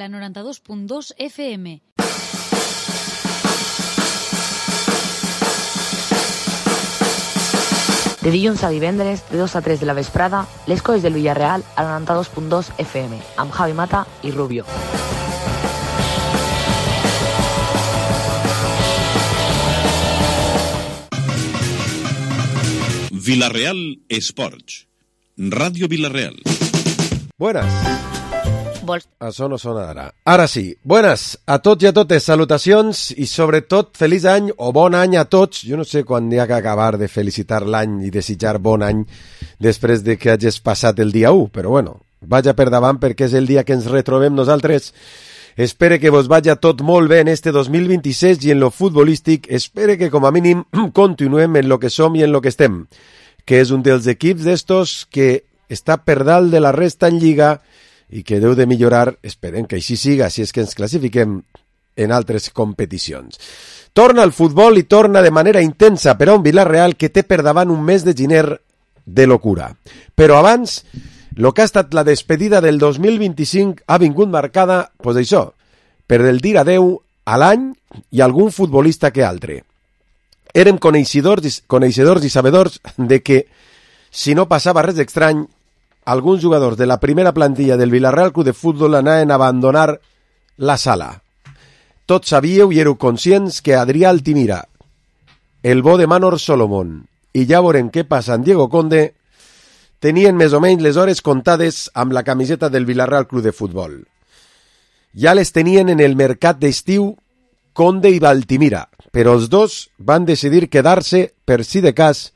La 92.2 FM. De dilluns a divendres, de 2 a 3 de la vesprada, les coses del Villarreal a la 92.2 FM, amb Javi Mata i Rubio. Villarreal Esports. Ràdio Villarreal. Buenas. Això no sona ara. Ara sí. Buenas a tots i a totes. Salutacions i sobretot feliç any o bon any a tots. Jo no sé quan hi ha que acabar de felicitar l'any i desitjar bon any després de que hagis passat el dia 1, però bueno, vaja per davant perquè és el dia que ens retrobem nosaltres. Espere que vos vaya tot molt bé en este 2026 i en lo futbolístic espere que com a mínim continuem en lo que som i en lo que estem, que és un dels equips d'estos que està per dalt de la resta en Lliga i que deu de millorar, esperem que així siga, si és que ens classifiquem en altres competicions. Torna al futbol i torna de manera intensa per a un Villarreal que té per davant un mes de gener de locura. Però abans, el que ha estat la despedida del 2025 ha vingut marcada, pues això, per el dir adeu a l'any i a algun futbolista que altre. Érem coneixedors i sabedors de que, si no passava res estrany, alguns jugadors de la primera plantilla del Villarreal Club de Futbol anaven a abandonar la sala. Tots sabíeu i éreu conscients que Adrià Altimira, el bo de Manor Solomon i ja veurem què passa en Diego Conde tenien més o menys les hores comptades amb la camiseta del Villarreal Club de Futbol. Ja les tenien en el mercat d'estiu Conde i Altimira, però els dos van decidir quedar-se per si de cas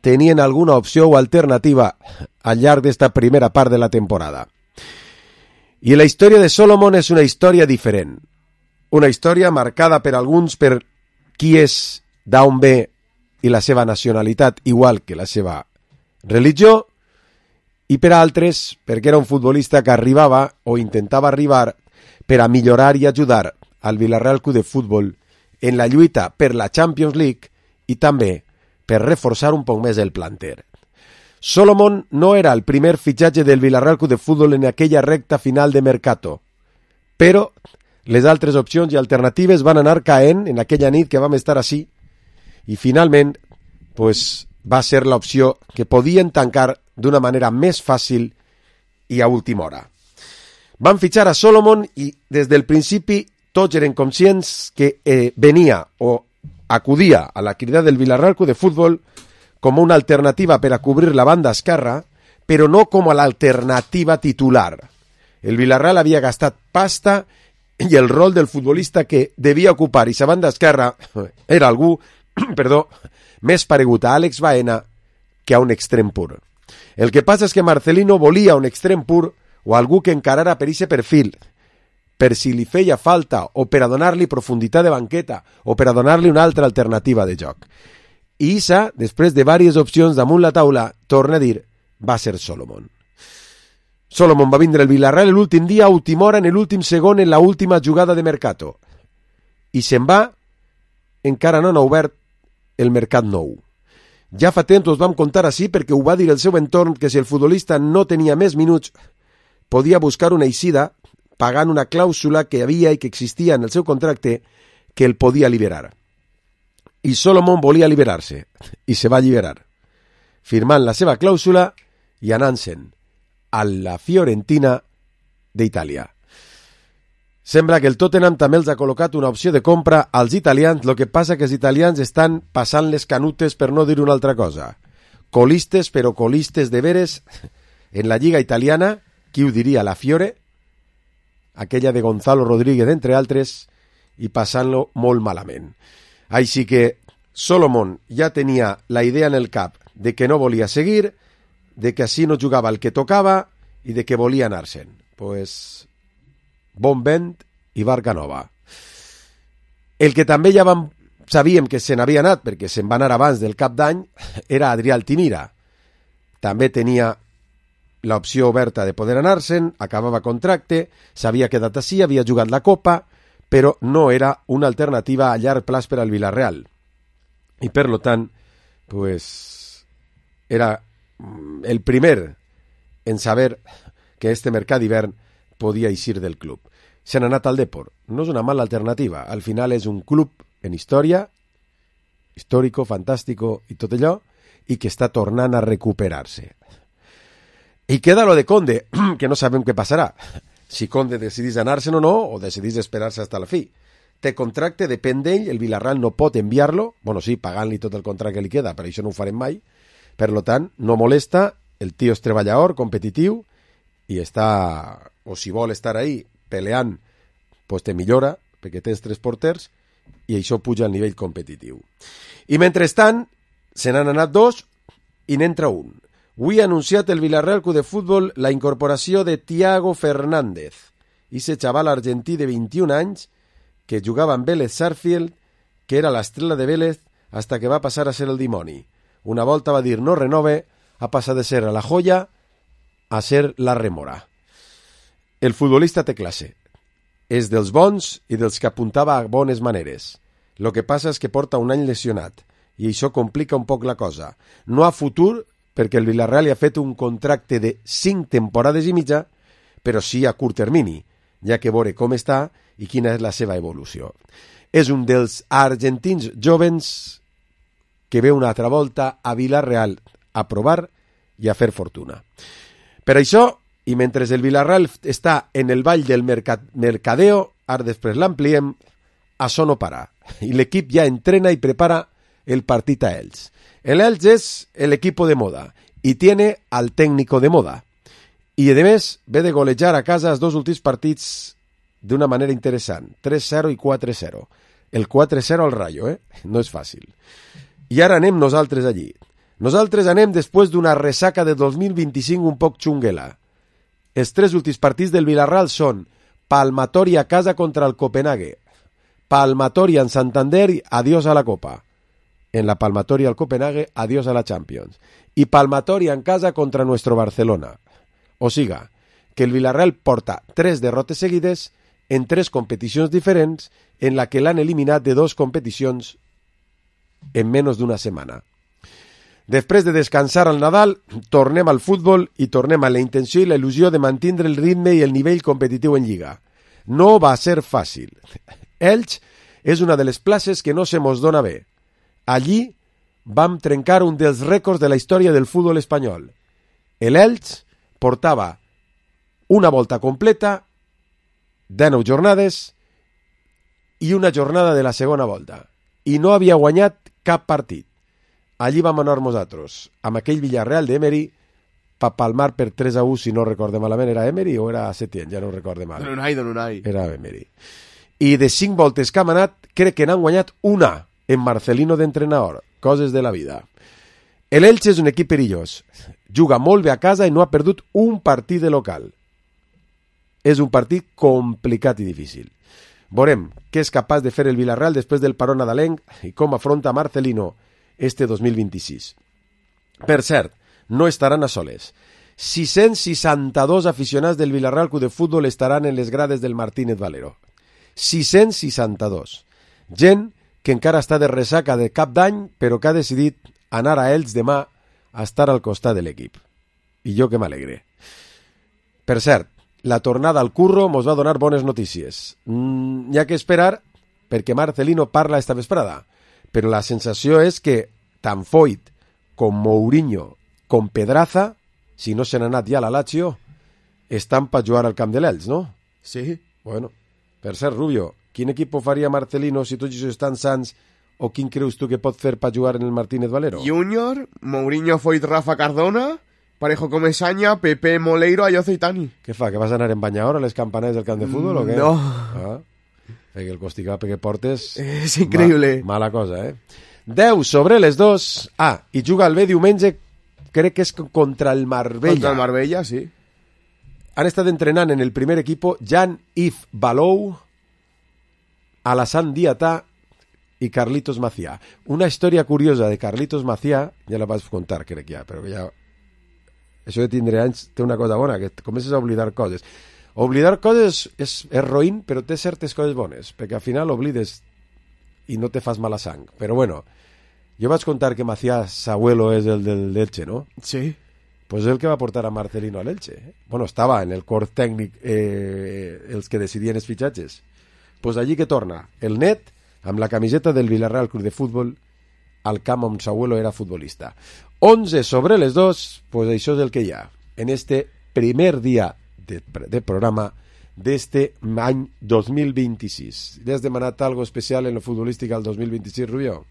tenien alguna opció o alternativa al llarg d'esta primera part de la temporada. I la història de Solomon és una història diferent. Una història marcada per alguns per qui és, d'on ve i la seva nacionalitat, igual que la seva religió, i per altres perquè era un futbolista que arribava o intentava arribar per a millorar i ajudar al Villarreal Club de Futbol en la lluita per la Champions League i també per reforçar un poc més el planter. Solomon no era el primer fitxatge del Villarreal Club de Futbol en aquella recta final de mercato, però les altres opcions i alternatives van anar caent en aquella nit que vam estar així i finalment pues, va ser l'opció que podien tancar d'una manera més fàcil i a última hora. Van fitxar a Solomon i des del principi tots eren conscients que venia o acudia a la crida del Villarreal Club de Futbol com una alternativa per a cobrir la banda esquerra, però no com a l'alternativa titular. El Villarreal havia gastat pasta i el rol del futbolista que devia ocupar i sa banda esquerra era algú, més paregut a Àlex Baena que a un extrem pur. El que passa és que Marcelino volia un extrem pur o algú que encarara per ixe perfil, per si li feia falta o per a donar-li profunditat de banqueta o per a donar-li una altra alternativa de joc. I Issa, després de diverses opcions damunt la taula, torna a dir, va ser Solomon. Solomon va vindre al Villarreal l'últim dia, a última hora, en l'últim segon, en l'última jugada de mercato. I se'n va, encara no han obert el mercat nou. Ja fa temps us vam contar així perquè ho va dir el seu entorn que si el futbolista no tenia més minuts, podia buscar una eixida pagant una clàusula que havia i que existia en el seu contracte que el podia alliberar. I Solomon volia alliberar-se, i se va alliberar, firmant la seva clàusula i anant-se'n a la Fiorentina d'Itàlia. Sembla que el Tottenham també els ha col·locat una opció de compra als italians, el que passa que els italians estan passant les canutes per no dir una altra cosa. Colistes, però colistes de veres en la lliga italiana, qui ho diria, la Fiore, aquella de Gonzalo Rodríguez, entre altres, i passant-lo molt malament. Així que Solomon ja tenia la idea en el cap de que no volia seguir, de que així no jugava el que tocava i de que volia anar-se'n. Pues, bon vent i barca nova. El que també ja sabíem que se n'havia anat, perquè se'n va anar abans del cap d'any, era Adrià Altimira. També tenia l'opció oberta de poder anar-se'n, acabava contracte, s'havia quedat així, havia jugat la Copa, però no era una alternativa a llarg plaç per al Villarreal. I per lo tant, pues, era el primer en saber que este mercat d'hivern podia eixir del club. se n'ha anat al Depor. No és una mala alternativa. Al final és un club en història, històrico, fantàstico i tot allò, i que està tornant a recuperar-se. I queda lo de Conde, que no sabem què passarà. Si Conde decidís anar-se'n o no, o decidís esperar-se fins a la fi. Té contracte, depèn d'ell, el Villarreal no pot enviar-lo, bueno, sí, pagant-li tot el contracte que li queda, però això no ho farem mai. Per tant, no molesta, el tio és treballador, competitiu, i està, o si vol estar ahí peleant, pues te millora, perquè tens 3 porters, i això puja al nivell competitiu. I mentrestant, se n'han anat 2 i n'entra un. Avui ha anunciat el Villarreal Club de Futbol la incorporació de Thiago Fernández, ese xaval argentí de 21 anys que jugava amb Vélez Sarsfield, que era l'estrella de Vélez hasta que va passar a ser el dimoni. Una volta va dir no renove, ha passat de ser la joia a ser la remora. El futbolista té classe. És dels bons i dels que apuntava a bones maneres. Lo que passa és que porta un any lesionat i això complica un poc la cosa. No a futur, perquè el Villarreal li ha fet un contracte de 5 temporades i mitja, però sí a curt termini, ja que veure com està i quina és la seva evolució. És un dels argentins jovens que ve una altra volta a Villarreal a provar i a fer fortuna. Per això, i mentre el Villarreal està en el ball del mercadeo, ara després l'ampliem, això no para. I l'equip ja entrena i prepara el partit a Elx. El Elx és el equipo de moda y tiene al técnico de moda. Y además ve de golejar a casa els 2 últims partits d'una manera interessant. 3-0 i 4-0. El 4-0 al Rayo, no és fàcil. I ara anem nosaltres allí. Nosaltres anem després d'una ressaca de 2025 un poc xunguela. Els 3 últims partits del Villarreal són palmatori a casa contra el Copenhague, palmatori en Santander i adiós a la Copa. En la palmatoria al Copenhague, adiós a la Champions. Y palmatoria en casa contra nuestro Barcelona. O siga, que el Villarreal porta 3 derrotes seguides en 3 competicions diferents en la que l'han eliminat de 2 competicions en menys d'una setmana. Després de descansar al Nadal, tornem al futbol i tornem a la intenció i la il·lusió de mantenir el ritme i el nivell competitiu en Lliga. No va ser fàcil. Elx és una de les places que no se mos dona bé. Allí vam trencar un dels rècords de la història del futbol espanyol. El Elx portava una volta completa, 19 jornades i una jornada de la segona volta. I no havia guanyat cap partit. Allí vam anar nosaltres, amb aquell Villarreal d'Emery, per palmar per 3-1, si no recorde malament. Era Emery o era Setién? Ja no recorde mal. Don Unai. Era Emery. I de 5 voltes que han anat, crec que n'han guanyat una en Marcelino d'entrenador. Coses de la vida. El Elche és un equip perillós. Juga molt bé a casa i no ha perdut un partit de local. És un partit complicat i difícil. Veurem què és capaç de fer el Villarreal després del paró nadalenc i com afronta Marcelino este 2026. Per cert, no estaran a soles. 662 aficionats del Villarreal Club de Futbol estaran en les grades del Martínez Valero. 662. Gent que encara està de ressaca de cap d'any, però que ha decidit anar a Elx demà a estar al costat de l'equip. I jo que m'alegre. Per cert, la tornada al curro mos va donar bones notícies. Hi ha que esperar perquè Marcelino parla esta vesprada, però la sensació és que tant Foyt com Mourinho com Pedraza, si no se n'ha anat ja a la Lazio, estan per jugar al camp de l'Elx, no? Sí. Bueno, per cert, Rubio, quin equip faria Marcelino si tots estan sants, o quin creus tu que pot fer per jugar en el Martínez Valero? Junior, Mourinho, Foyt, Rafa, Cardona, Parejo, Comesaña, Pepe, Moleiro, Ayozo i Tani. Què fa, que vas anar en banyador a les campanades del camp de futbol o què? No. Perquè el costigape que portes... És increïble. Mala cosa, 10 sobre les 2. I juga el bé diumenge, crec que és contra el Marbella. Contra el Marbella, sí. Han estat entrenant en el primer equipo Jean-Yves Balou, Alassane Diatà i Carlitos Macià. Una història curiosa de Carlitos Macià, ja la vaig contar, crec ja, però ja... Això de tindre anys té una cosa bona, que comences a oblidar coses. Oblidar coses és roïn, però té certes coses bones, perquè al final oblides i no te fas mala sang. Però bueno, jo vaig contar que Macià, Sabuelo, és el del Elche, no? Sí. pues és el que va portar a Marcelino a l'Elche. Bueno, estava en el cor tècnic els que decidien els fitxatges. Pues allí que torna el net amb la camiseta del Villarreal Club de Futbol al camp on su abuelo era futbolista. 11 sobre les 2, pues això és el que hi ha en este primer dia de programa d'este any 2026. ¿Le has demanat algo especial en lo futbolístic al 2026, Rubio?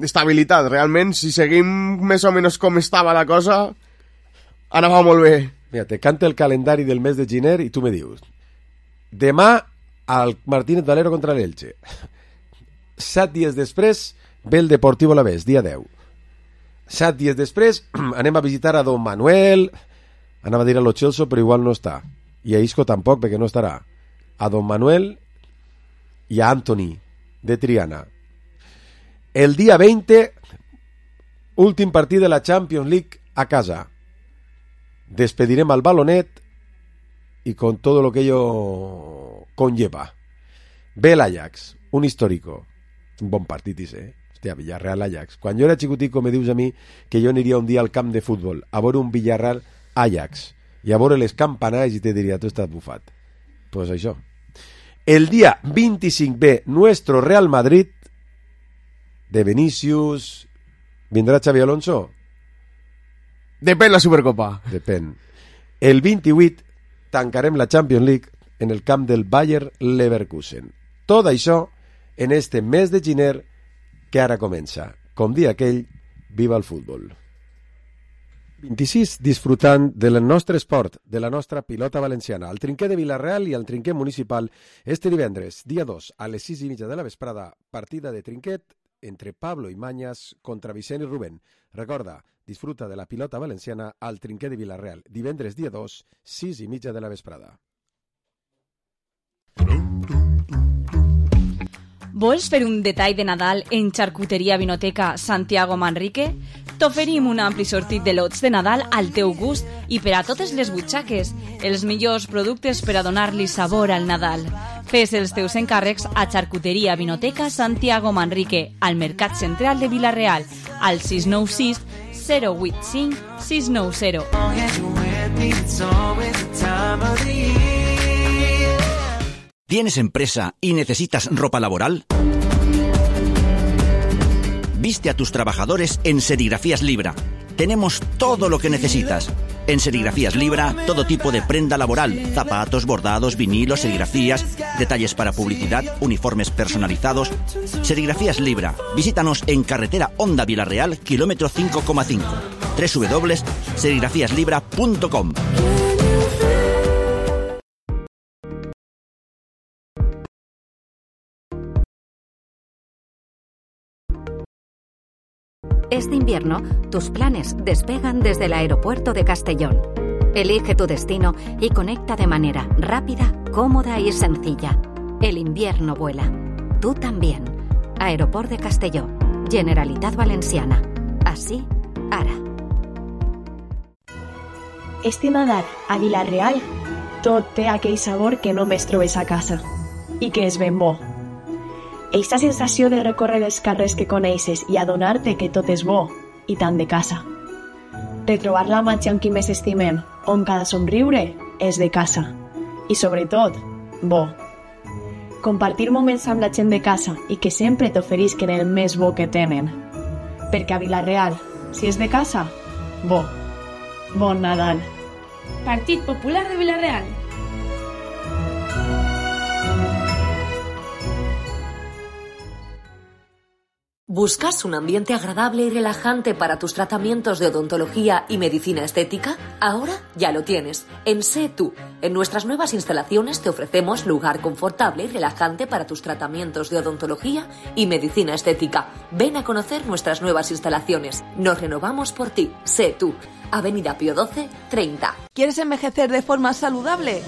Estabilitat, realment, si seguim més o menys com estava la cosa, anava molt bé. Mira, te canta el calendari del mes de gener i tu me dius: demà al Martínez Valero contra l'Elche. 7 dies després ve el Deportivo Alavés, dia 10. 7 dies després anem a visitar a Don Manuel, anava a dir a Lo Celso, però igual no està, i a Isco tampoc, perquè no estarà, a Don Manuel i a Anthony de Triana. El dia 20, últim partit de la Champions League a casa. Despedirem al Balonet y con todo lo que ello conlleva. Ve l'Ajax, un histórico. Un bon partit, dice. Hòstia, Villarreal-Ajax. Quan jo era xicutico me dius a mi que jo aniria un dia al camp de futbol a veure un Villarreal-Ajax i a veure les campanades i te diria, tu estàs bufat. Pues això. El dia 25 ve nuestro Real Madrid de Vinicius. ¿Vindrà Xavi Alonso? Depèn la Supercopa. Depèn. El 28 tancarem la Champions League en el camp del Bayer Leverkusen. Tot això en este mes de gener que ara comença. Com dia aquell, viva el futbol. 26, disfrutant del nostre esport, de la nostra pilota valenciana, al trinquer de Vilareal i al trinquer municipal, este divendres, dia 2, a les 6:30 de la vesprada, partida de trinquet entre Pablo i Mañas contra Vicent i Rubén. Recorda, disfruta de la pilota valenciana al trinquer de Vilareal, divendres dia 2, 6:30 de la vesprada. Vols fer un detall de Nadal en Xarcuteria Vinoteca Santiago Manrique? T'oferim un ampli sortit de lots de Nadal al teu gust i per a totes les butxaques, els millors productes per a donar-li sabor al Nadal. Fes els teus encàrrecs a Xarcuteria Vinoteca Santiago Manrique, al Mercat Central de Vilareal, al 696 085 690. ¿Tienes empresa y necesitas ropa laboral? Viste a tus trabajadores en Serigrafías Libra. Tenemos todo lo que necesitas. En Serigrafías Libra, todo tipo de prenda laboral, zapatos, bordados, vinilos, serigrafías, detalles para publicidad, uniformes personalizados. Serigrafías Libra. Visítanos en carretera Honda Vilareal, kilómetro 5,5. www.serigrafíaslibra.com. Este invierno, tus planes despegan desde el aeropuerto de Castellón. Elige tu destino y conecta de manera rápida, cómoda y sencilla. El invierno vuela. Tú también. Aeroport de Castelló. Generalitat Valenciana. Així, ara. Este Nadal, a Vilareal, tot té aquell sabor que només trobes a casa. I que és ben bo. Eixa sensació de recórrer els carrers que coneixes i adonar-te que tot és bo i tant de casa. Retrobar la màgia amb qui més estimem, on cada somriure és de casa. I sobretot, bo. Compartir moments amb la gent de casa i que sempre t'oferisquen el més bo que tenen. Perquè a Vilareal, si és de casa, bo. Bon Nadal. Partit Popular de Vilareal. ¿Buscas un ambiente agradable y relajante para tus tratamientos de odontología y medicina estética? Ahora ya lo tienes. En Sé Tú. En nuestras nuevas instalaciones te ofrecemos lugar confortable y relajante para tus tratamientos de odontología y medicina estética. Ven a conocer nuestras nuevas instalaciones. Nos renovamos por ti. Sé Tú. Avenida Pío XII, 30. ¿Quieres envejecer de forma saludable?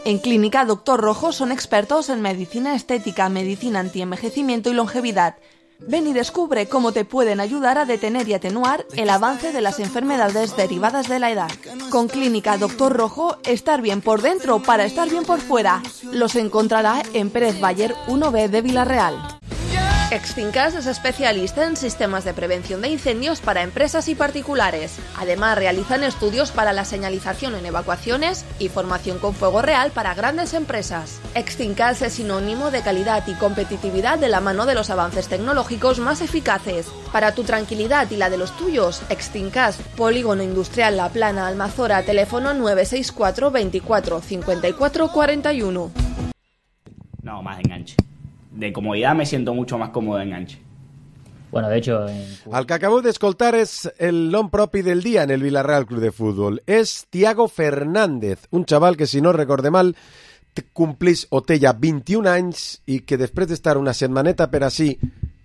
En Clínica Doctor Rojo son expertos en medicina estética, medicina antienvejecimiento y longevidad. Ven y descubre cómo te pueden ayudar a detener y atenuar el avance de las enfermedades derivadas de la edad. Con Clínica Doctor Rojo, estar bien por dentro para estar bien por fuera. Los encontrará en Pérez Bayer 1B de Vilareal. Extincas es especialista en sistemas de prevención de incendios para empresas y particulares. Además, realizan estudios para la señalización en evacuaciones y formación con fuego real para grandes empresas. Extincas es sinónimo de calidad y competitividad de la mano de los avances tecnológicos más eficaces. Para tu tranquilidad y la de los tuyos, Extincas, Polígono Industrial La Plana, Almazora, teléfono 964 24 54 41. No, más enganche. De comodidad me siento mucho más cómodo de enganche. Bueno, de hecho... El que acabeu d'escoltar és el nom propi del dia en el Villarreal Club de Fútbol. És Thiago Fernández, un xaval que, si no recorde mal, complís o té ja 21 anys i que després d'estar una setmaneta per així,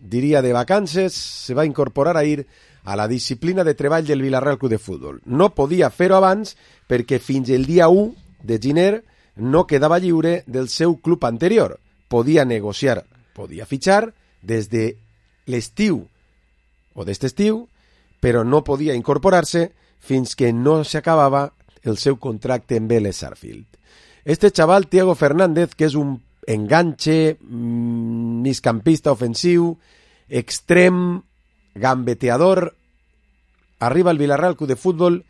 diria de vacances, se va incorporar a ir a la disciplina de treball del Villarreal Club de Fútbol. No podia fer-ho abans perquè fins el dia 1 de gener no quedava lliure del seu club anterior. Podia negociar, podia fitxar des de l'estiu o d'este estiu, però no podia incorporar-se fins que no s'acabava el seu contracte amb Vélez Sarsfield. Este xaval, Thiago Fernández, que és un enganche, migcampista ofensiu, extrem, gambeteador, arriba al Villarreal Club de Fútbol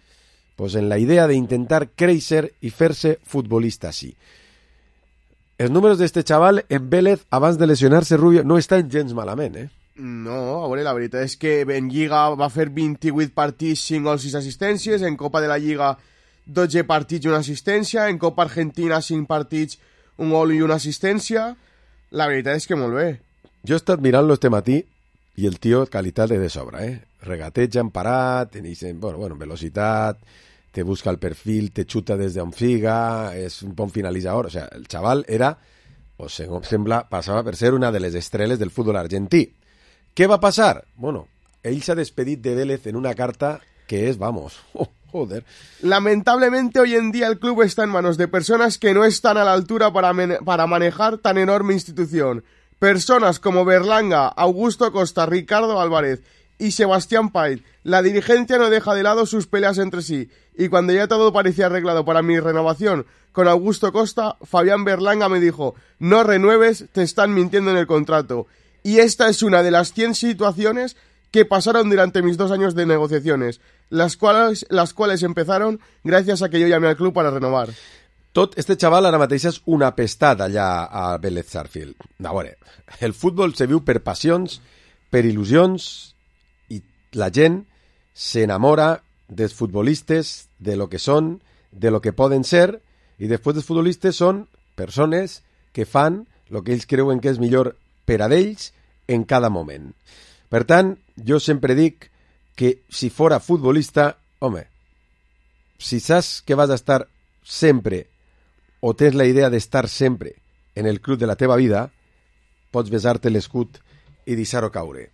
pues en la idea de intentar créixer i fer-se futbolista així. Els números d'este xaval en Vélez, abans de lesionar-se, Rubio, no estan gens malament, eh? No, a veure, la veritat és que en Lliga va fer 28 partits, 5 gols, 6 assistències, en Copa de la Lliga 12 partits i una assistència, en Copa Argentina 5 partits, un gol i una assistència. La veritat és que molt bé. Jo he estat mirant-lo este matí i el tio qualitat de sobra, eh? Regateja en parat, bueno, velocitat, te busca el perfil, te xuta des d'on figa, és un bon finalitzador. O sea, el xaval era, o segons sembla, passava per ser una de les estrelles del futbol argentí. Què va passar? Bueno, ell s'ha despedit de Vélez en una carta que es, vamos, joder. Lamentablemente hoy en día el club está en manos de personas que no están a la altura para manejar tan enorme institución. Personas como Berlanga, Augusto Costa, Ricardo Álvarez y Sebastián Pait. La dirigencia no deja de lado sus peleas entre sí. Y cuando ya todo parecía arreglado para mi renovación con Augusto Costa, Fabián Berlanga me dijo: no renueves, te están mintiendo en el contrato. Y esta es una de las 100 situaciones que pasaron durante mis 2 años de negociaciones, las cuales empezaron gracias a que yo llamé al club para renovar. Tot este xaval ara mateix és un apestat allà a Vélez Sarsfield. A veure, el futbol se viu per passions, per il·lusions, i la gent s'enamora dels futbolistes, de lo que són, de lo que poden ser, i després dels futbolistes són persones que fan el que ells creuen que és millor per a ells en cada moment. Per tant, jo sempre dic que si fora futbolista, home, si saps que vas a estar sempre o tens la idea d'estar sempre en el club de la teva vida, pots besar-te l'escut i deixar-ho caure.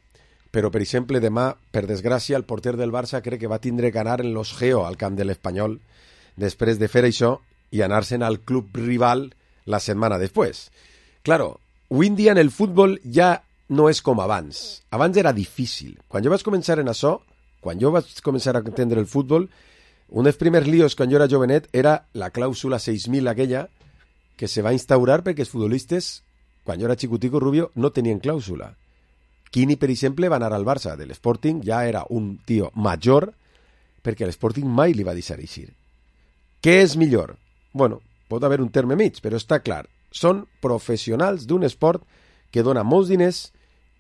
Però, per exemple, demà, per desgràcia, el porter del Barça crec que va tindre que anar en los Geo al camp de l'Espanyol després de fer això i anar-se'n al club rival la setmana després. Claro, avui en dia en el futbol ja no és com abans. Abans era difícil. Quan jo vaig començar en això, quan jo vaig començar a entendre el futbol, un dels primers líos quan jo era jovenet era la clàusula 6.000 aquella que se va instaurar perquè els futbolistes, quan jo era xicutico, Rubio, no tenien clàusula. Quini, per exemple, va anar al Barça de l'Sporting, ja era un tio major, perquè l'Sporting mai li va deixar eixir. Què és millor? Bueno, pot haver un terme mig, però està clar. Són professionals d'un esport que dona molts diners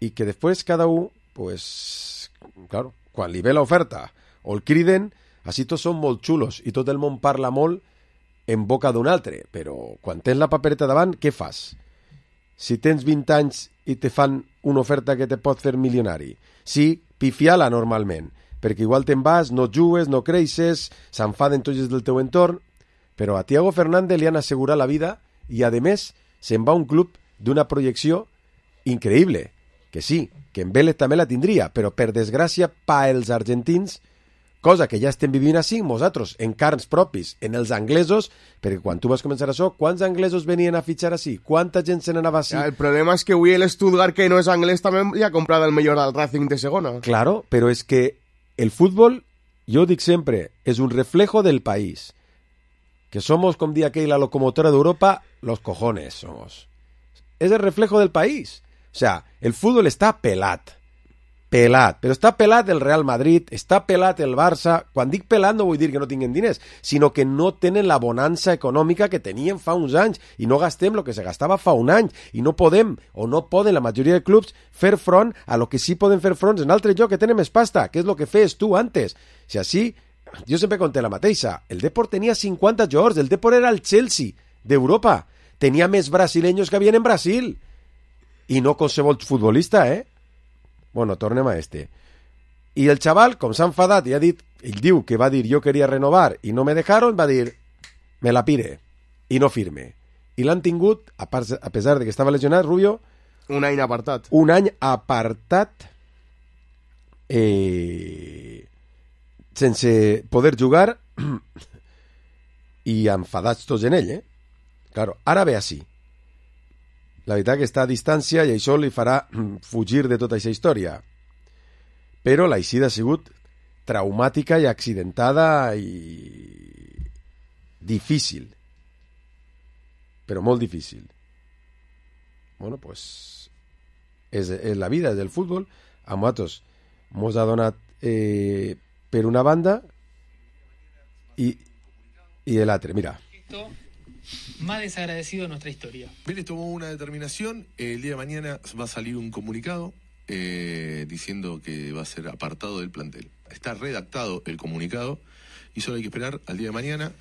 i que després cada un, pues, claro, quan li ve l'oferta o el criden, així tots són molt xulos i tot el món parla molt en boca d'un altre, però quan tens la papereta davant, què fas? Si tens 20 anys i te fan una oferta que te pot fer milionari, sí, pifiala normalment, perquè igual te'n vas, no jugues, no creixes, s'enfaden tots del teu entorn, però a Thiago Fernández li han assegurat la vida i, a més, se'n va a un club d'una projecció increïble, que sí, que en Vélez també la tindria, però per desgràcia pa els argentins, cosa que ja estem vivint així, nosaltres, en carns propis, en els anglesos, perquè quan tu vas començar això, quants anglesos venien a fitxar així? Quanta gent se n'anava així? El problema és que avui el Stuttgart, que no és anglès, també li ha comprat el millor al Racing de segona. Claro, però és que el fútbol, jo dic sempre, és un reflejo del país. Que somos, com dia aquell, la locomotora d'Europa, los cojones somos. És el reflejo del país. O sea, el fútbol està pelat, però està pelat el Real Madrid, està pelat el Barça. Quan dic pelat no vull dir que no tinguin diners, sinó que no tenen la bonança econòmica que tenien fa uns anys i no gastem el que se gastava fa un any i no podem, o no poden la majoria de clubs fer front a lo que sí poden fer front en altre lloc que tenen més pasta, que és el que fes tu antes. Si així, jo sempre conté la mateixa, el Depor tenia 50 jugadors, el Depor era el Chelsea d'Europa, tenia més brasileños que havien en Brasil. I no qualsevol futbolista, Bueno, tornem a este. I el xaval, com s'ha enfadat i ha dit, ell diu que va dir jo queria renovar i no me dejaron, va dir me la pire i no firme. I l'han tingut, a pesar de que estava lesionat, Rubio, un any apartat. Un any apartat sense poder jugar i enfadats tots en ell, Claro, ara ve així. La veritat que està a distància i això li farà fugir de tota aquesta història. Però l'eixida ha sigut traumàtica i accidentada i difícil. Però molt difícil. Bueno, pues és la vida, és el futbol. A nosaltres mos ha donat per una banda i l'altre. Mira. Más desagradecido de nuestra historia. Vélez tomó una determinación, el día de mañana va a salir un comunicado diciendo que va a ser apartado del plantel. Está redactado el comunicado y solo hay que esperar al día de mañana.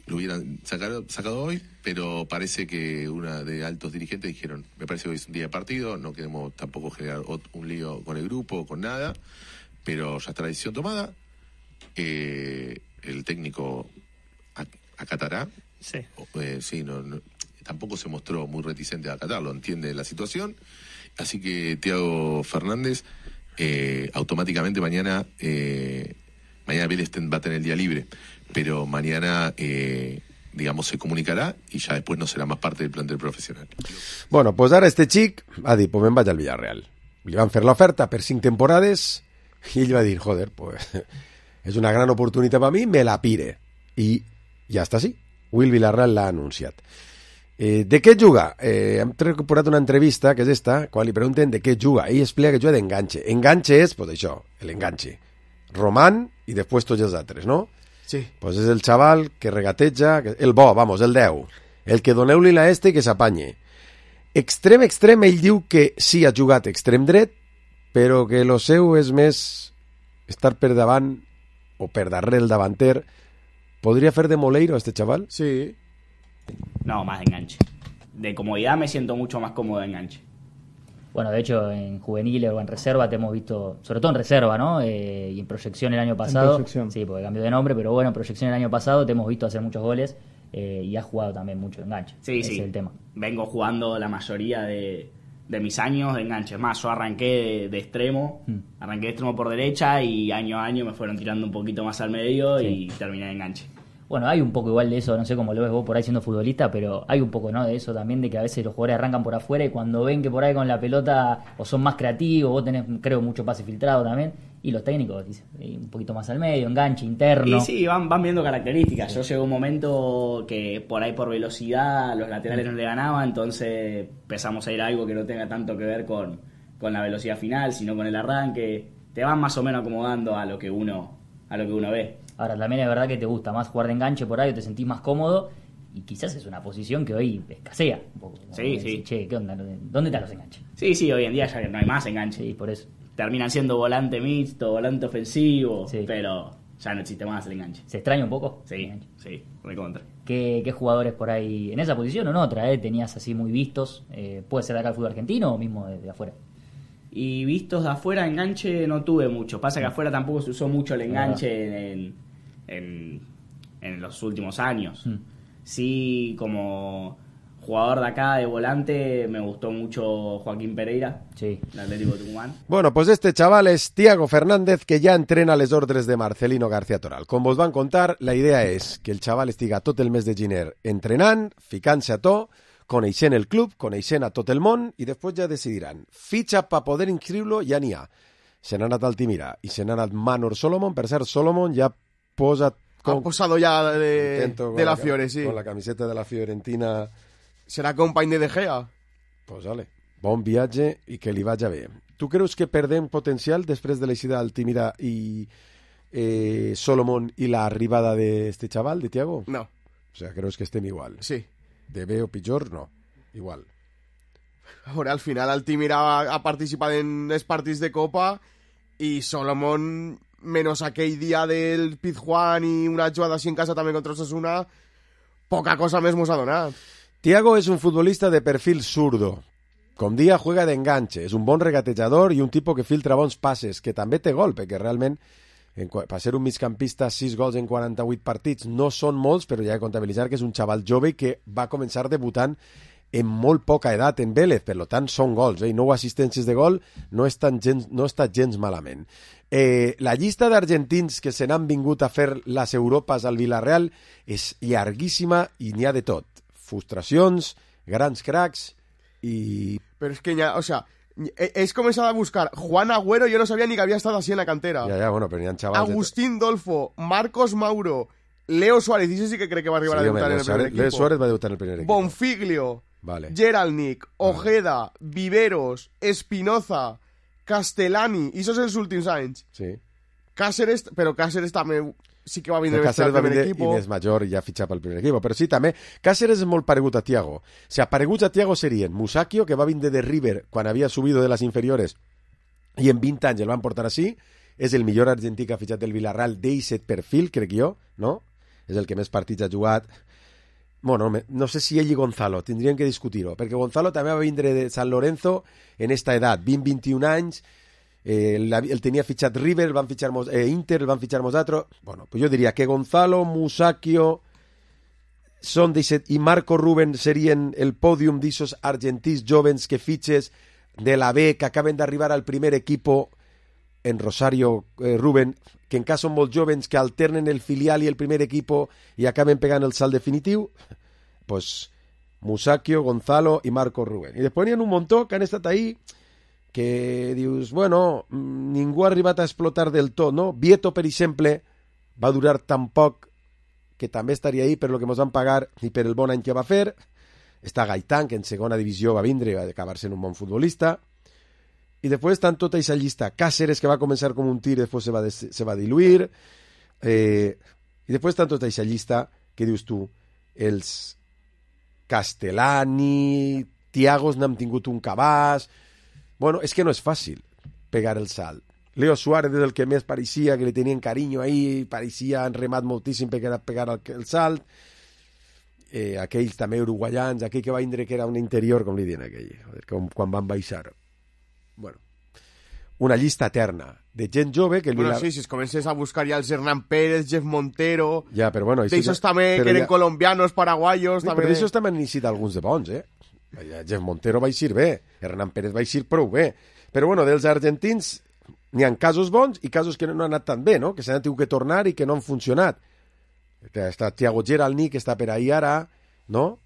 Lo hubieran sacado hoy, pero parece que una de altos dirigentes dijeron, me parece que hoy es un día de partido, no queremos tampoco generar un lío con el grupo, con nada, pero ya está la decisión tomada, el técnico acatará. Sí. Sí, no, tampoco se mostró muy reticente a acatarlo, entiende la situación, así que Thiago Fernández automáticamente mañana Vélez va a tener el día libre, pero mañana digamos se comunicará y ya después no será más parte del plantel profesional. Bueno, pues ara este xic ha dit, pues me'n vaig al Villarreal. Li van fer l'oferta per 5 temporades i ell va dir, joder, pues és una gran oportunitat per mi, me la pire. I ja està així. Will Villarreal l'ha anunciat. De què juga? Hem recuperat una entrevista, que és esta, quan li pregunten de què juga. Ell explica que juga d'enganche. Enganche és, pues això, l'enganche. Román i després tots els altres, no? Sí. Pues és el xaval que regateja, el bo, vamos, el 10. El que doneu-li la i que s'apanye. Extrem, ell diu que sí ha jugat extrem dret, però que lo seu és més estar per davant o per darrere el davanter. ¿Podría hacer de Moleiro a este chaval? Sí. No, más de enganche. De comodidad me siento mucho más cómodo de enganche. Bueno, de hecho, en juveniles o en reserva te hemos visto, sobre todo en reserva, ¿no? Y en proyección el año pasado. En proyección. Sí, porque cambió de nombre, pero bueno, en proyección el año pasado te hemos visto hacer muchos goles y has jugado también mucho de enganche. Sí, Ese sí. es el tema. Vengo jugando la mayoría de mis años de enganche. Es más, yo arranqué de extremo, arranqué de extremo por derecha y año a año me fueron tirando un poquito más al medio y terminé de enganche. Bueno, hay un poco igual de eso, no sé cómo lo ves vos por ahí siendo futbolista, pero hay un poco, ¿no?, de eso también, de que a veces los jugadores arrancan por afuera y cuando ven que por ahí con la pelota o son más creativos, vos tenés, creo, mucho pase filtrado también, y los técnicos dicen un poquito más al medio, enganche, interno. Y sí, van viendo características. Yo llegó un momento que por ahí por velocidad los laterales no le ganaban, entonces empezamos a ir a algo que no tenga tanto que ver con la velocidad final, sino con el arranque. Te van más o menos acomodando a lo que uno ve. Ahora, también es verdad que te gusta más jugar de enganche por ahí, o te sentís más cómodo, y quizás es una posición que hoy escasea un poco. Sí, decir, sí. Che, ¿qué onda? ¿Dónde están los enganches? Sí, hoy en día ya no hay más enganche. Sí, por eso. Terminan siendo volante mixto, volante ofensivo, pero ya no existe más el enganche. ¿Se extraña un poco? Sí, recontra. ¿Qué jugadores por ahí, en esa posición o en otra, tenías así muy vistos? ¿Puede ser de acá al fútbol argentino o mismo de afuera? Y vistos de afuera, enganche no tuve mucho. Pasa que afuera tampoco se usó mucho el enganche en los últimos años. Sí, como jugador de acá, de volante, me gustó mucho Joaquín Pereira, del Atlético Tucumán. Bueno, pues este chaval es Thiago Fernández, que ja entrena les ordres de Marcelino García Toral. Com vos van contar, la idea és que el xaval estiga tot el mes de gener entrenant, ficant-se a to, coneixent el club, coneixent a tot el món, i després ja decidiran. Fitxa per poder inscriure-lo ja n'hi ha. Se n'ha anat Altimira i se n'ha anat Manor Solomon. Per cert, Solomon ja posa... Ha posado ya de la Fiore, sí. Con la camiseta de la Fiorentina. ¿Será compañ de Gea? Pues vale. bon viatge i que li vagi bé. Tu creus que perdem potencial després de l'eixida d'Altimira i Solomon i l'arribada d'este xaval, de Thiago? No. O sea, creus que estem igual? Sí. De bé o pitjor, no. Igual. Ahora, al final, Altimira ha participat en els partits de Copa i Solomon, menos aquell dia del Pizjuán i una jugada així en casa també contra Osasuna, poca cosa més mos ha donat. Thiago es un futbolista de perfil zurdo. Com dia juega de enganche, és un bon regatejador i un tipus que filtra bons passes, que també té gol, perquè realment per ser un migcampista 6 gols en 48 partits no són molts, però ja he de comptabilitzar que és un xaval jove que va començar debutant en molt poca edat en Vélez, per tant són gols, 9 assistències de gol, no està gens malament. La llista d'argentins que se n'han vingut a fer les Europes al Villarreal és llarguíssima i n'hi ha de tot. Frustracions, grans cracs i... Però és que ja, o sea, és començat a buscar Juan Agüero, jo no sabia ni que havia estat així en la cantera. Ja, bueno, però n'hi ha xavals... Agustín Dolfo, Marcos Mauro, Leo Suárez, i sí que crec que va arribar a debutar en el primer equipo. Leo Suárez va debutar en el primer equipo. Bonfiglio, vale. Geralnik, Ojeda, Viveros, Espinoza, Castellani, i esos els últims anys. Sí. Cáceres, però Cáceres també sí que va vindre Cáceres al primer equip. I més major i ja fitxat pel primer equip. Però sí, també, Cáceres és molt paregut a Thiago. O sea, pareguts a Thiago serien Musacchio, que va vindre de River quan havia subido de les inferiores i en 20 anys el van portar així. És el millor argentí que ha fitxat del Villarreal d'eiset perfil, crec jo, no? És el que més partits ha jugat. Bueno, no sé si ell i Gonzalo, tindrien que discutir-ho, perquè Gonzalo també va vindre de San Lorenzo en esta edat, 20-21 anys, el tenia fitxat River, el van fitxar Inter, el van fitxar Mosatro. Bueno, pues jo diria que Gonzalo, Musacchio són i Marco Rubén serien el pòdium d'issos argentins jovens que fitxes de la B, que acaben d'arribar al primer equipo en Rosario, Rubén, que en cas són molt jovens, que alternen el filial i el primer equipo i acaben pegant el salt definitiu. Pues Musacchio, Gonzalo i Marco Rubén. I després n'hi ha un muntó que han estat ahí que dius, bueno, ningú ha arribat a explotar del tot, no? Vieto, per exemple, va durar tan poc que també estaria ahí per lo que ens van pagar i per el bon any que va fer. Està Gaitán, que en segona divisió va vindre i va acabar sent un bon futbolista. I després estan tota aquesta llista. Cáceres, que va començar com un tir i després se va diluir. I després estan tota aquesta llista que dius tu, els Castellani, Thiagos n'hem tingut un cabàs. Bueno, és que no és fàcil pegar el salt. Leo Suárez és el que més pareixia que li tenien carinyo ahí, pareixia han remat moltíssim per pegar el salt. Aquells també uruguaians, aquell que va vindre que era un interior, com li diuen aquell, quan van baixar. Bueno, una llista eterna de gent jove que... Bueno, sí, si es comences a buscar ja els Hernán Pérez, Jeff Montero... Ja, però bueno... D'eixos també, que eren colombianos, paraguayos... Però d'aixos també han iniciat alguns de bons, Jeff Montero va eixir bé, Hernán Pérez va eixir prou bé, però bueno, dels argentins n'hi ha casos bons i casos que no han anat tan bé, no? Que s'han tingut que tornar i que no han funcionat. Està Thiago Geralni, que està per ahí ara, no?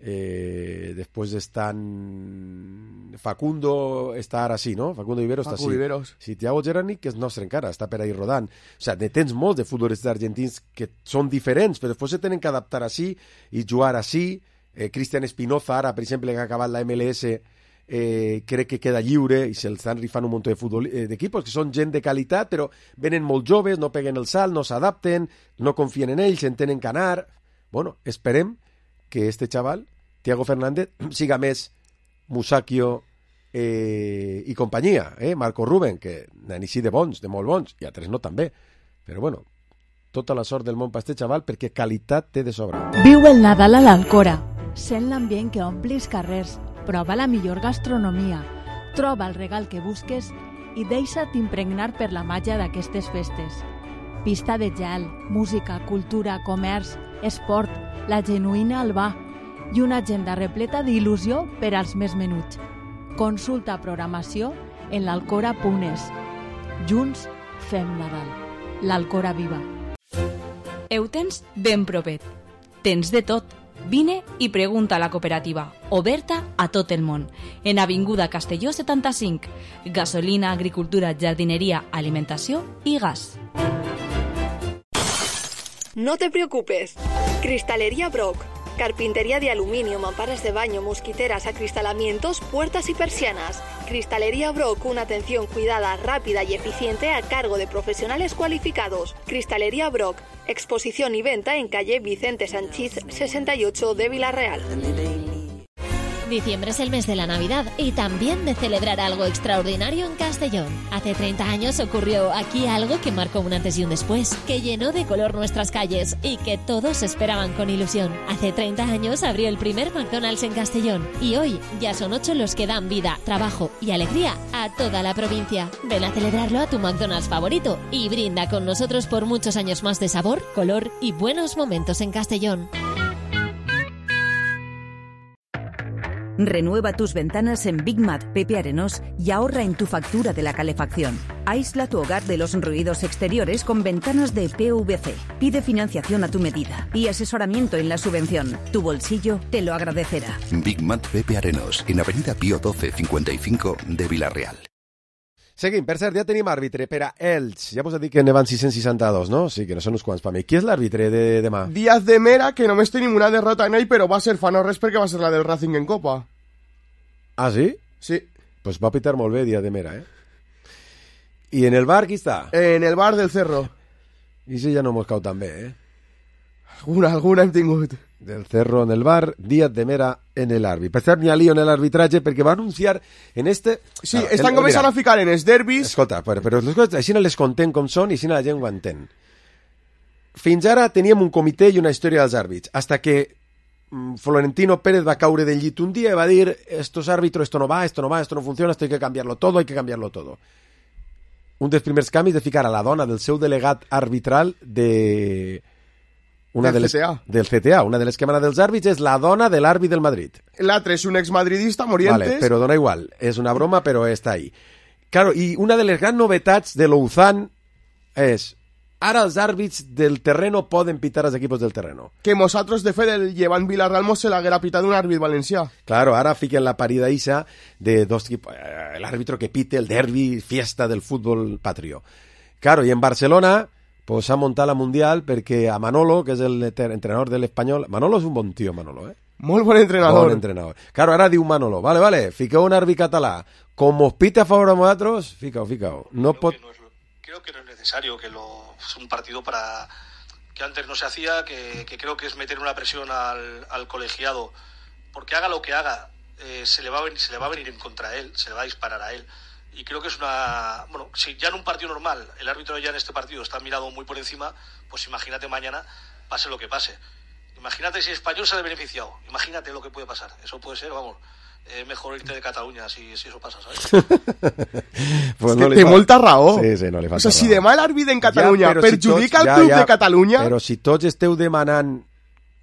Després estan Facundo, està ara sí, no? Facundo Viveros està sí. Sí, Thiago Geralni, que és nostre encara, està per ahí rodant. O sigui, tens molts de futbolistes argentins que són diferents, però després se tenen que adaptar així i jugar així. Cristian Espinoza, ara, per exemple, que ha acabat la MLS, crec que queda lliure i se'ls estan rifant un munt d'equipos que són gent de qualitat, però venen molt joves, no peguen el salt, no s'adapten, no confien en ells, entenen que anar. Bueno, esperem que este xaval, Thiago Fernández, siga més Musacchio i companyia, Marco Rubén, que n'han eixit de bons, de molt bons, i altres no també. Però bueno, tota la sort del món per este xaval, perquè qualitat té de sobra. Viu el Nadal a l'Alcora. Sent l'ambient que ompli els carrers, prova la millor gastronomia, troba el regal que busques i deixa't impregnar per la màgia d'aquestes festes. Pista de gel, música, cultura, comerç, esport, la genuïna Albà i una agenda repleta d'il·lusió per als més menuts. Consulta programació en l'alcora.es. Junts fem Nadal. L'Alcora viva. Ho tens ben propet. Tens de tot. Vine i pregunta a la cooperativa, oberta a tot el món, en Avinguda Castelló 75, gasolina, agricultura, jardineria, alimentació i gas. No te preocupes, Cristalería Brock, Carpintería de aluminio, mamparas de baño, mosquiteras, acristalamientos, puertas y persianas. Cristalería Brock, una atención cuidada, rápida y eficiente a cargo de profesionales cualificados. Cristalería Brock, exposición y venta en calle Vicente Sanchís 68 de Villarreal. Diciembre es el mes de la Navidad y también de celebrar algo extraordinario en Castellón. Hace 30 años ocurrió aquí algo que marcó un antes y un después, que llenó de color nuestras calles y que todos esperaban con ilusión. Hace 30 años abrió el primer McDonald's en Castellón y hoy ya son 8 los que dan vida, trabajo y alegría a toda la provincia. Ven a celebrarlo a tu McDonald's favorito y brinda con nosotros por muchos años más de sabor, color y buenos momentos en Castellón. Renueva tus ventanas en Big Mat Pepe Arenós y ahorra en tu factura de la calefacción. Aísla tu hogar de los ruidos exteriores con ventanas de PVC. Pide financiación a tu medida y asesoramiento en la subvención. Tu bolsillo te lo agradecerá. Big Mat Pepe Arenós, en Avenida Pío 12 55 de Villarreal. Seguim, per cert, ja tenim àrbitre per a Elx. Ja vos he dit que ne van 662, no? Sí, que no són uns quants per mi. Qui és l'àrbitre de demà? Díaz de Mera, que només tenim una derrota en ell, però va ser fa no res perquè va ser la del Racing en Copa. Ah, sí? Sí. Pues va pitar molt bé Díaz de Mera, eh? I en el bar, qui està? En el bar del Cerro. I si ja no mos cau tan bé, eh? Alguna hem tingut. Del Cerro en el bar, Díaz de Mera en el àrbit. Per cert, n'hi ha lío en l'arbitratge perquè va anunciar en este... Sí, estan començant a ficar en els derbis... Escolta, però les coses així no les contem com són i així la gent ho entén. Fins ara teníem un comitè i una història dels àrbits, hasta que Florentino Pérez va caure del llit un dia i va dir estos árbitros, esto no va, esto no funciona, esto hay que cambiarlo todo, hay que cambiarlo todo. Un dels primers canvis de ficar a la dona del seu delegat arbitral del CTA. Una de les que mana dels àrbits és la dona de l'àrbit del Madrid. L'altre és un exmadridista, Morientes. Vale, però dona igual, és una broma, però està ahí. Claro, i una de les grans novetats de l'Ouzán és ara els àrbits del terreno poden pitar els equipos del terreno. Que nosaltres, de fet, el llevant Villarreal se l'haguera pitat un àrbit valencià. Claro, ara fiquen la parida isa de dos equipos, el árbitro que pite el derbi, fiesta del fútbol patrio. Claro, i en Barcelona pues s'ha muntat la Mundial perquè a Manolo, que és el entrenador de l'Espanyol... Manolo és un bon tio, Manolo, eh? Molt bon entrenador. Bon entrenador. Claro, ara diu Manolo, vale, fiqueu un àrbit català. Com os pite a favor de nosaltres, fiqueu. No pot... Creo que no es necesario, que es un partido para que antes no se hacía, que creo que es meter una presión al colegiado, porque haga lo que haga, se le va a venir en contra a él, se le va a disparar a él. Y creo que es una... Bueno, si ya en un partido normal el árbitro ya en este partido está mirado muy por encima, pues imagínate mañana, pase lo que pase. Imagínate si el Español sale beneficiado. Imagínate lo que puede pasar. Eso puede ser, vamos, mejor irte de Cataluña si eso pasa, ¿sabes? Pues no té molta raó. Sí, no li falta raó. Si demà l'àrbit en Catalunya perjudica el club de Catalunya... Però si tots esteu demanant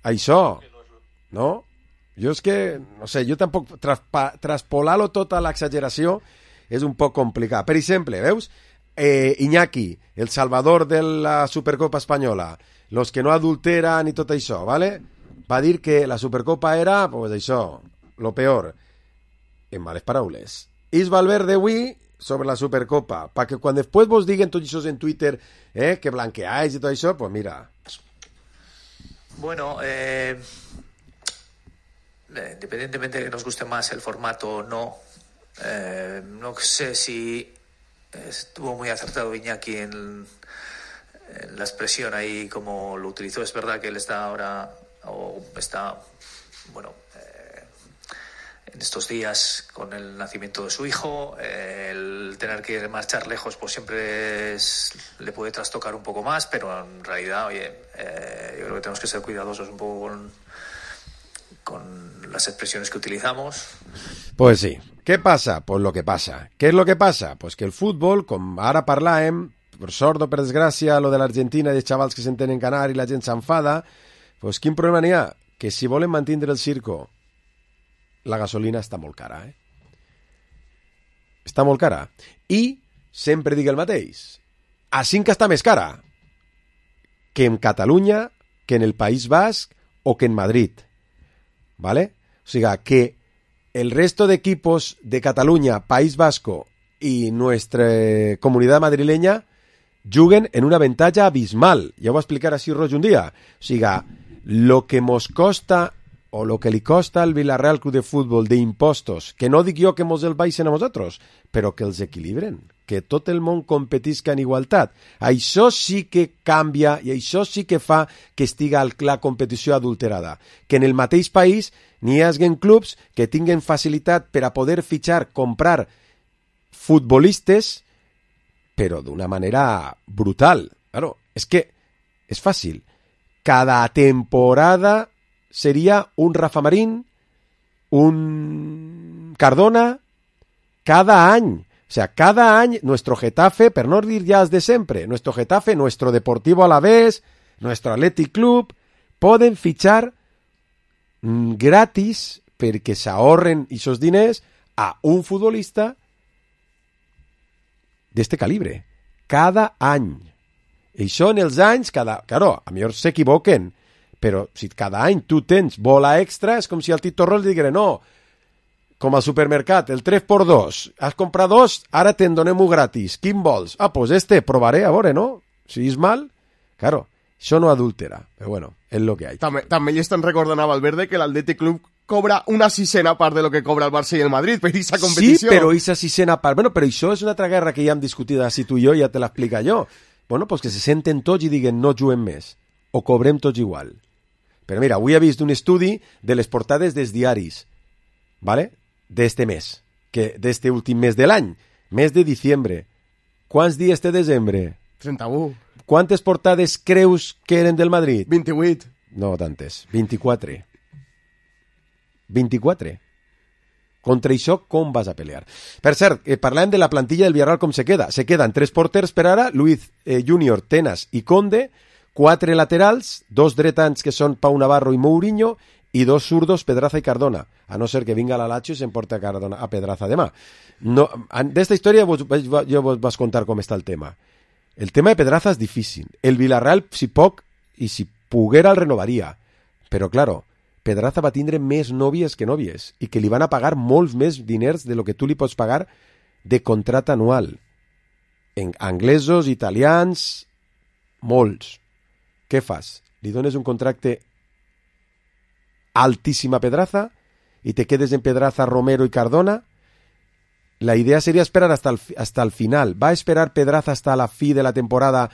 això, no? Jo és que, no sé, jo tampoc... Traspolar-lo tot a l'exageració és un poc complicat. Per exemple, veus? Iñaki, el salvador de la Supercopa Espanyola, los que no adulteran i tot això, ¿vale? Va dir que la Supercopa era, pues això, lo peor. En males paraules. Is Valverde avui sobre la Supercopa, perquè quan després vos diguen tots això en Twitter, que blanqueáis i tot això, pues mira. Bueno, independientemente de que nos guste más el formato o no, no sé si estuvo muy acertado Iñaki en la expresión ahí como lo utilizó. Es verdad que él está ahora, o está, bueno, en estos días con el nacimiento de su hijo, el tener que marchar lejos pues siempre le puede trastocar un poco más, pero en realidad, oye, yo creo que tenemos que ser cuidadosos un poco con las expresiones que utilizamos. Pues sí. Què passa? Pues lo que passa. Què és lo que passa? Pues que el futbol, com ara parlàvem, per sort o per desgràcia, lo de l'Argentina i els xavals que s'entenen canar i la gent s'enfada, pues quin problema n'hi ha? Que si volen mantindre el circo, la gasolina està molt cara, eh? Està molt cara. I sempre dic el mateix. Així que està més cara que en Catalunya, que en el País Basc o que en Madrid. ¿Vale? O sigui, que el resto de equipos de Cataluña, País Vasco y nuestra comunidad madrileña juguen en una ventaja abismal. Ja ho va explicar així Roig un dia. O sigui, lo que mos costa o lo que li costa al Villarreal Club de Futbol d'impostos, que no dic jo que mos el baixen a vosaltres, però que els equilibren, que tot el món competisca en igualtat. Això sí que canvia i això sí que fa que estiga la competició adulterada. Que en el mateix país n'hi hagi clubs que tinguen facilitat per a poder fitxar, comprar futbolistes, però d'una manera brutal. Claro, és que és fàcil. Cada temporada sería un Rafa Marín, un Cardona, cada año. O sea, cada año nuestro Getafe, per no dir ya es de siempre, nuestro Getafe, nuestro Deportivo Alavés, nuestro Athletic Club, poden fichar gratis perquè s'ahorren esos diners a un futbolista d'este calibre. Cada any. I això en els anys, claro, a millor s'equivoquen, però si cada any tu tens bola extra, és com si al Tito Roll diguera, no, com al supermercat, el 3x2, has comprat 2, ara te'n donem-ho gratis, quin vols? Ah, pues provaré, a veure, no? Si és mal, claro, això no adultera, però bueno, és lo que hay. També li estan recordant a Valverde que l'Athletic Club cobra una sisena part de lo que cobra el Barça i el Madrid per aquesta competició. Sí, però aquesta sisena part, bueno, però això és una altra guerra que ja hem discutit així tu i jo, ja te l'explica jo. Bueno, pues que se senten tots i diguen no juguem més, o cobrem tots igual. Però mira, avui he vist un estudi de les portades dels diaris, ¿vale? D'este mes, que d'este últim mes de l'any, mes de diciembre. Quants dies té desembre? 31. Quantes portades creus que eren del Madrid? 28. No tantes, 24. 24. Contra això, com vas a pelear? Per cert, parlàvem de la plantilla del Villarreal com se queda. Se queden 3 porters per ara, Luis Junior, Tenas i Conde, 4 laterals, 2 dretans que són Pau Navarro i Mourinho, i 2 zurdos, Pedraza i Cardona, a no ser que vinga la Lazio i s'emporta a Pedraza demà. No, d'esta història jo vos vas contar com està el tema. El tema de Pedraza és difícil. El Villarreal, si poc, i si poguera, el renovaria. Però, claro, Pedraza va tindre més nòvies que nòvies i que li van a pagar molts més diners de lo que tu li pots pagar de contrat anual. En anglesos, italians, molts. Què fas? Li dones un contracte altíssim a Pedraza i te quedes en Pedraza, Romero i Cardona? La idea sería esperar hasta el final. ¿Va a esperar Pedraza hasta la fi de la temporada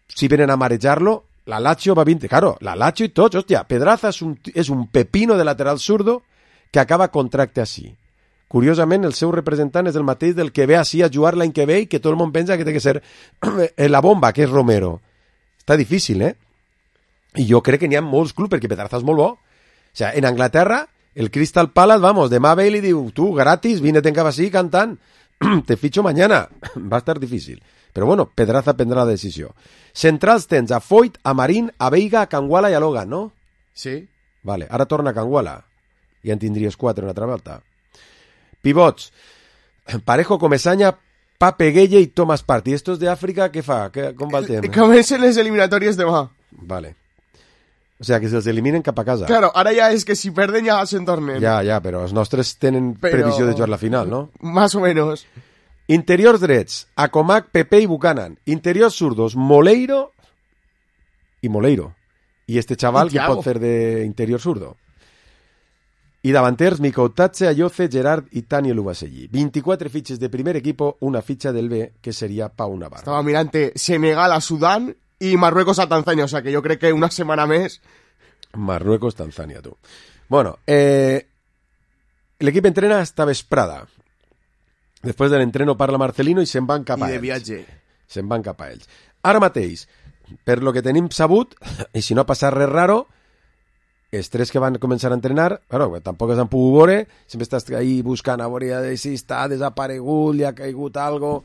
si vienen a marejarlo? La Lazio va 20. Claro, la Lazio y tots. Hòstia, Pedraza és un pepino de lateral zurdo que acaba contracte així. Curiosament, el seu representant és el mateix del que ve així a jugar l'any que ve i que tot el món pensa que té que ser la bomba, que és Romero. Està difícil, eh? I jo crec que n'hi ha molts clubs, perquè Pedraza és molt bo. O sea, en Anglaterra, el Crystal Palace, vamos, demà ve i li diu, tu, gratis, vine-te'n cap així cantant, te ficho mañana. Va estar difícil. Però bueno, Pedraza prendrà la decisió. Centrals tens a Foyt, a Marín, a Veiga, a Canguala i a Logan, no? Sí. Vale, ara torna a Canguala. Ja en tindries 4 una altra volta. Pivots. Parejo, Comesaña, Pape Gueye i Thomas Partey. Estos de Àfrica, què fa? Com va el tema? Comencen les eliminatòries demà. Vale. O sea, que se'ls eliminen cap a casa. Claro, ara ja és que si perden ja se'n tornen. Ja, però els nostres tenen previsió de jugar la final, ¿no? Más o menos. Interiors drets, Acomac, Pepe i Buchanan. Interiors zurdos, Moleiro i Moleiro. I este chaval que pot fer d'interior zurdo. I davanters, Mikoutatze, Ayoce, Gerard i Tani Lubaselli. 24 fitxes de primer equipo, una fitxa del B, que seria Pau Navarro. Estava mirant Senegal a Sudán i Marruecos a Tanzania, o sea que jo crec que una setmana més... Marruecos, Tanzania, tu. Bueno, l'equip entrena esta vesprada. Després de l'entreno parla Marcelino i se'n van cap a ells. I de viatge. Se'n van cap a ells. Ara mateix, per lo que tenim sabut, i si no ha passat res raro, els 3 que van començar a entrenar, però tampoc s'han pogut veure, sempre estàs ahí buscant a veure si està desaparegut, li ha caigut algo...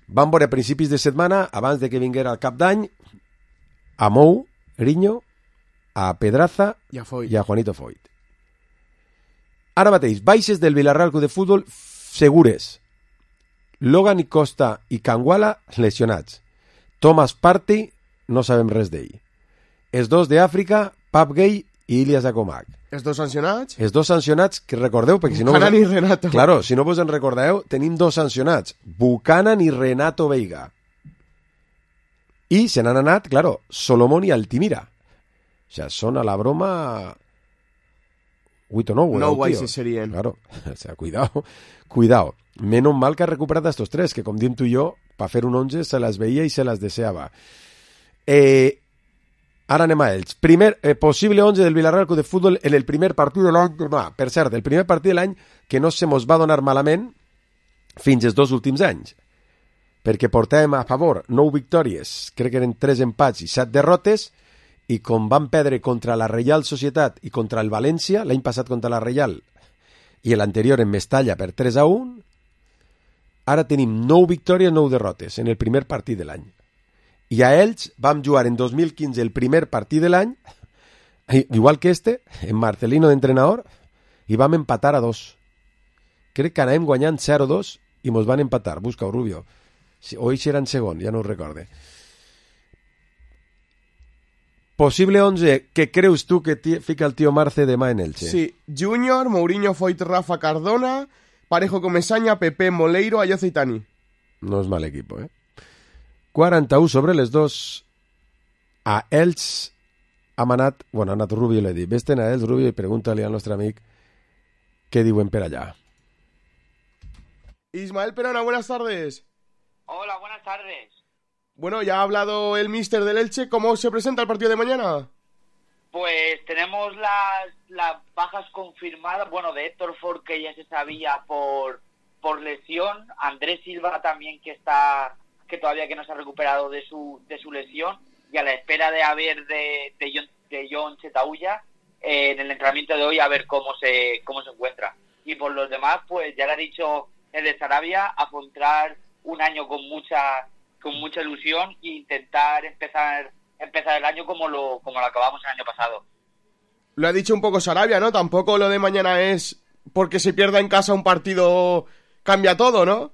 Van veure a principis de setmana, abans de que vinguera el cap d'any, a Mou, Riño, a Pedraza i a Juanito Foyt. Ara mateix, baixes del Villarreal Club de Futbol segures. Logan i Costa i Canguala lesionats. Thomas Partey, no sabem res d'ell. Els 2 d'Àfrica, Pap Gay i Ilias Acomac. Els 2 sancionats? Els 2 sancionats, que recordeu, perquè si no... Buchanan i Renato. Claro, si no vos en recordeu, tenim 2 sancionats. Buchanan i Renato Veiga. I se n'han anat, claro, Solomon i Altimira. O sea, són a la broma 8 o 9. No guais serien. Claro, o sea, cuidado. Menos mal que ha recuperat estos 3, que com diem tu i jo, per fer un 11 se les veia i se les deseava. Ara anem a ells. Possible 11 del Villarreal Club de Futbol en el primer partit de l'any. Per cert, el primer partit de l'any que no se mos va donar malament fins als 2 últims anys. Perquè portàvem a favor 9 victòries, crec que eren 3 empats i 7 derrotes, i com van perdre contra la Reial Societat i contra el València, l'any passat contra la Reial i l'anterior en Mestalla per 3-1, ara tenim 9 victòries, 9 derrotes en el primer partit de l'any. I a ells vam jugar en 2015 el primer partit de l'any, igual que en Marcelino d'entrenador, i vam empatar a 2. Crec que anàvem guanyant 0-2 i mos van empatar. Busca-ho, Rubio. O ells eren segon, ja no ho recorde. Possible 11 que creus tu que fica el tio Marce demà en Elche? Sí, Junior, Mourinho, Foyt, Rafa, Cardona, Parejo, Comesaña, Pepe, Moleiro, Ayoce i Tani. No és mal equip, 41 sobre les 2. A Elx ha anat Rubio, l'he dit. Vés-te'n a Elx, Rubio, i pregunta-li al nostre amic què diuen per allà. Ismael Perona, buenas tardes. Hola, buenas tardes. Bueno, ya ha hablado el míster del Elche. ¿Cómo se presenta el partido de mañana? Pues tenemos las bajas confirmadas. Bueno, de Héctor Ford, que ya se sabía por lesión. Andrés Silva también, que todavía que no se ha recuperado de su lesión. Y a la espera de John Chetauya en el entrenamiento de hoy, a ver cómo se encuentra. Y por los demás, pues ya le ha dicho el de Sarabia, afrontar un año con mucha ilusión e intentar empezar el año como lo acabamos el año pasado. Lo ha dicho un poco Sarabia, ¿no? Tampoco lo de mañana es porque se pierda en casa un partido cambia todo, ¿no?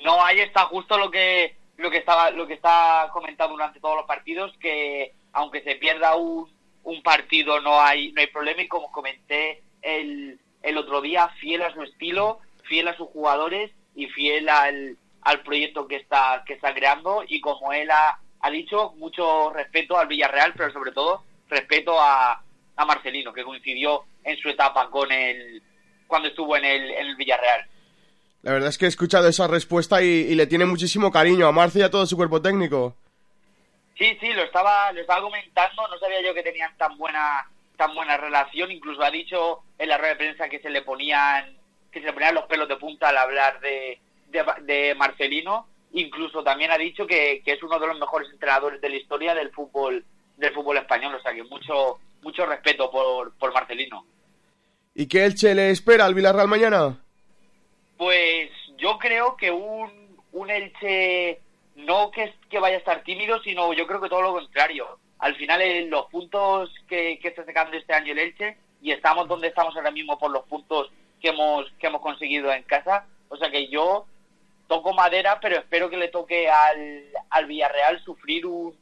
No, ahí está justo lo que está comentando durante todos los partidos, que aunque se pierda un partido no hay problema, y como comenté el otro día, fiel a su estilo, fiel a sus jugadores y fiel al proyecto que está creando, y como él ha dicho, mucho respeto al Villarreal, pero sobre todo respeto a Marcelino, que coincidió en su etapa cuando estuvo en el Villarreal. La verdad es que he escuchado esa respuesta y le tiene muchísimo cariño a Marce y a todo su cuerpo técnico. Sí, lo estaba comentando, no sabía yo que tenían tan buena relación. Incluso ha dicho en la rueda de prensa que se le ponían los pelos de punta al hablar de Marcelino. Incluso también ha dicho que es uno de los mejores entrenadores de la historia del fútbol español, o sea que mucho respeto por Marcelino. ¿Y qué Elche le espera al Villarreal mañana? Pues yo creo que un Elche no que vaya a estar tímido, sino yo creo que todo lo contrario. Al final los puntos que está sacando este año el Elche, y estamos donde estamos ahora mismo por los puntos que hemos conseguido en casa, o sea que yo toco madera, pero espero que le toque al Villarreal sufrir un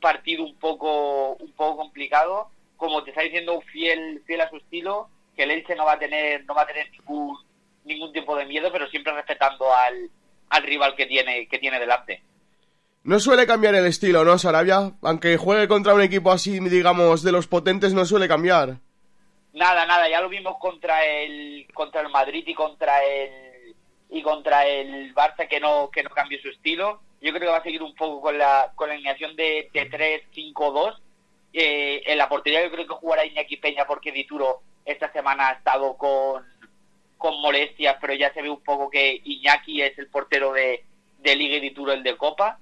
partido un poco complicado, como te está diciendo, fiel a su estilo, que el Elche no va a tener ningún tipo de miedo, pero siempre respetando al rival que tiene delante. No suele cambiar el estilo, ¿no, Sarabia? Aunque juegue contra un equipo así, digamos, de los potentes, no suele cambiar. Nada, ya lo vimos contra el Madrid y contra el Barça, que no cambió su estilo. Yo creo que va a seguir un poco con la alineación de 3-5-2. En la portería yo creo que jugará Iñaki Peña, porque Dituro esta semana ha estado con molestias, pero ya se ve un poco que Iñaki es el portero de Liga y Dituro el de Copa.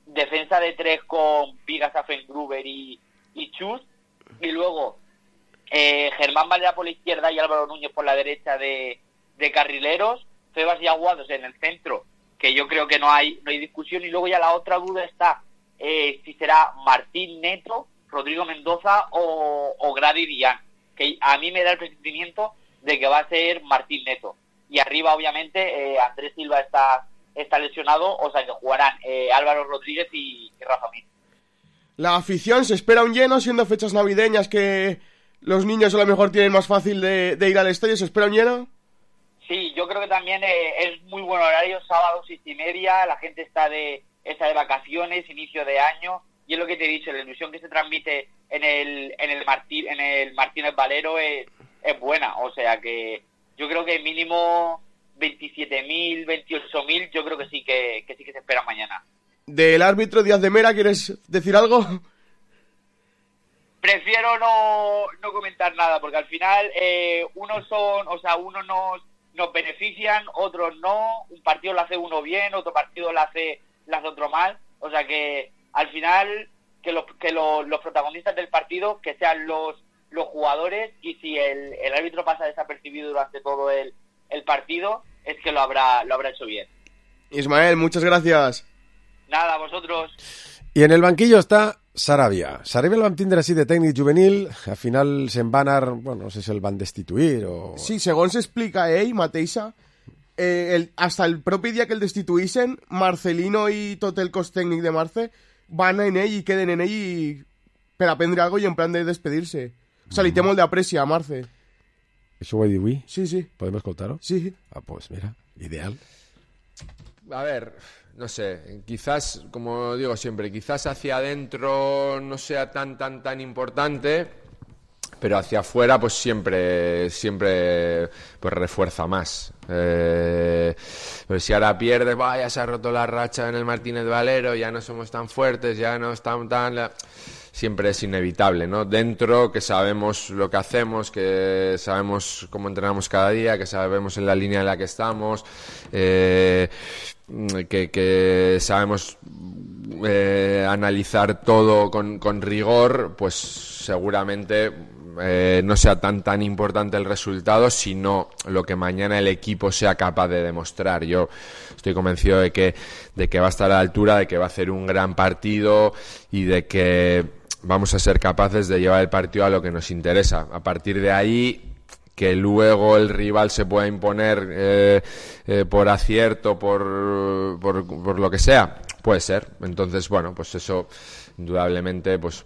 Defensa de 3 con Vigas, Afengruber y Chus. Y luego Germán Valera por la izquierda y Álvaro Núñez por la derecha de carrileros. Febas y Aguados en el centro, que yo creo que no hay discusión. Y luego ya la otra duda está si será Martín Neto, Rodrigo Mendoza o Grady Dián, que a mí me da el presentimiento de que va a ser Martín Neto. Y arriba obviamente Andrés Silva está lesionado, o sea que jugarán Álvaro Rodríguez y Rafa Mir. La afición se espera un lleno, siendo fechas navideñas que los niños a lo mejor tienen más fácil de ir al estadio. ¿Se espera un lleno? Sí, yo creo que también es muy buen horario, sábado 6:30, la gente está de vacaciones, inicio de año, y es lo que te he dicho, la ilusión que se transmite en el Martínez Valero es es buena, o sea que yo creo que mínimo 27.000, 28.000, yo creo que sí que se espera mañana. Del árbitro Díaz de Mera, ¿quieres decir algo? Prefiero no comentar nada, porque al final unos nos benefician, otros no, un partido lo hace uno bien, otro partido lo hace otro mal, o sea que al final que los protagonistas del partido que sean los jugadores, y si el árbitro pasa desapercibido durante todo el partido, es que lo habrá hecho bien. Ismael, muchas gracias. Nada, vosotros. I en el banquillo està Sarabia. Sarabia el vam tindre així de tècnic juvenil, al final se'n va anar, bueno, no sé si el van destituir o... Sí, segons s'explica ell mateixa, hasta el propi dia que el destituïssen, Marcelino i tot el cos tècnic de Marce van en ell i queden en ell per aprendre algo i en plan de despedir-se. O sea, li té molt d'apreci a Marce. Això ho he dit avui? Sí, sí. ¿Podem escoltar-ho? Sí. Ah, pues mira, ideal. A ver, no sé, quizás, como digo siempre, quizás hacia adentro no sea tan importante, pero hacia afuera pues siempre pues refuerza más. Pues si ahora pierdes, ya se ha roto la racha en el Martínez Valero, ya no somos tan fuertes, ya no estamos tan... Siempre es inevitable, ¿no? Dentro, que sabemos lo que hacemos, que sabemos cómo entrenamos cada día, que sabemos en la línea en la que estamos, que sabemos analizar todo con rigor, pues seguramente no sea tan importante el resultado, sino lo que mañana el equipo sea capaz de demostrar. Yo estoy convencido de que va a estar a la altura, de que va a hacer un gran partido y de que vamos a ser capaces de llevar el partido a lo que nos interesa. A partir de ahí, que luego el rival se pueda imponer por acierto, por lo que sea, puede ser. Entonces, bueno, pues eso indudablemente pues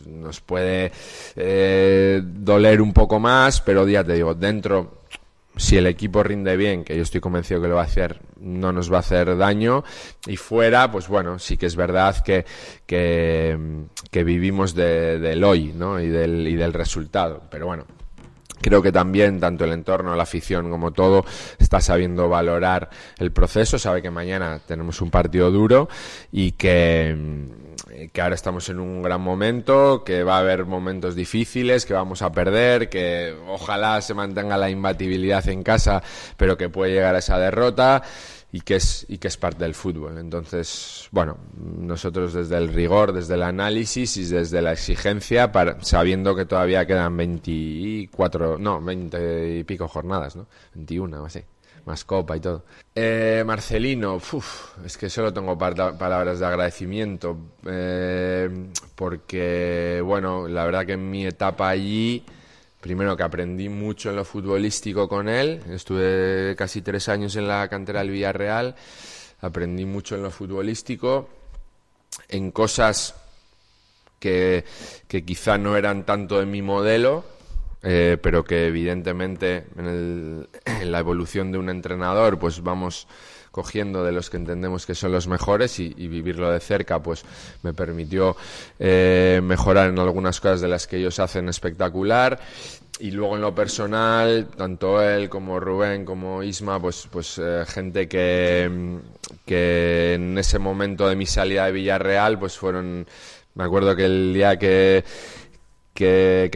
nos puede doler un poco más, pero ya te digo, dentro, si el equipo rinde bien, que yo estoy convencido que lo va a hacer, no nos va a hacer daño, y fuera, pues bueno, sí que es verdad que vivimos del hoy, ¿no? y del resultado, pero bueno, creo que también tanto el entorno, la afición como todo está sabiendo valorar el proceso, sabe que mañana tenemos un partido duro y que ahora estamos en un gran momento, que va a haber momentos difíciles, que vamos a perder, que ojalá se mantenga la imbatibilidad en casa, pero que puede llegar a esa derrota y que es parte del fútbol. Entonces, bueno, nosotros desde el rigor, desde el análisis y desde la exigencia, sabiendo que todavía quedan 20 y pico jornadas, ¿no? 21 o así. Más copa y todo. Marcelino, es que solo tengo palabras de agradecimiento, porque, bueno, la verdad que en mi etapa allí, primero que aprendí mucho en lo futbolístico con él, estuve casi 3 años en la cantera del Villarreal, aprendí mucho en lo futbolístico, en cosas que quizá no eran tanto de mi modelo, pero que evidentemente en la evolución de un entrenador pues vamos cogiendo de los que entendemos que son los mejores y vivirlo de cerca pues me permitió mejorar en algunas cosas de las que ellos hacen espectacular. Y luego en lo personal, tanto él como Rubén como Isma, pues gente que en ese momento de mi salida de Villarreal pues fueron, me acuerdo que el día que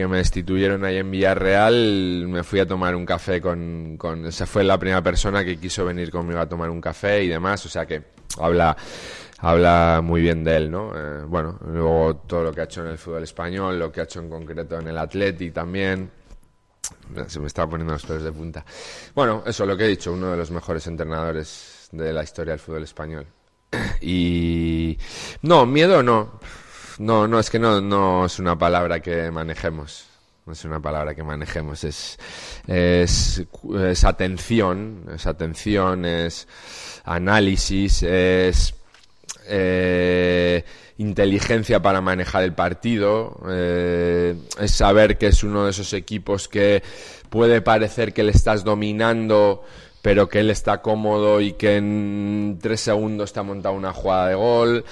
me destituyeron ahí en Villarreal, me fui a tomar un café con esa fue la primera persona que quiso venir conmigo a tomar un café y demás, o sea que habla muy bien de él, ¿no? Bueno, luego todo lo que ha hecho en el fútbol español, lo que ha hecho en concreto en el Athletic también, se me está poniendo los pelos de punta. Bueno, eso, lo que he dicho, uno de los mejores entrenadores de la historia del fútbol español. Y no, miedo no. No, es que no es una palabra que manejemos. No es una palabra que manejemos. Es atención, es análisis, es inteligencia para manejar el partido, es saber que es uno de esos equipos que puede parecer que le estás dominando, pero que él está cómodo y que en 3 segundos te ha montado una jugada de gol.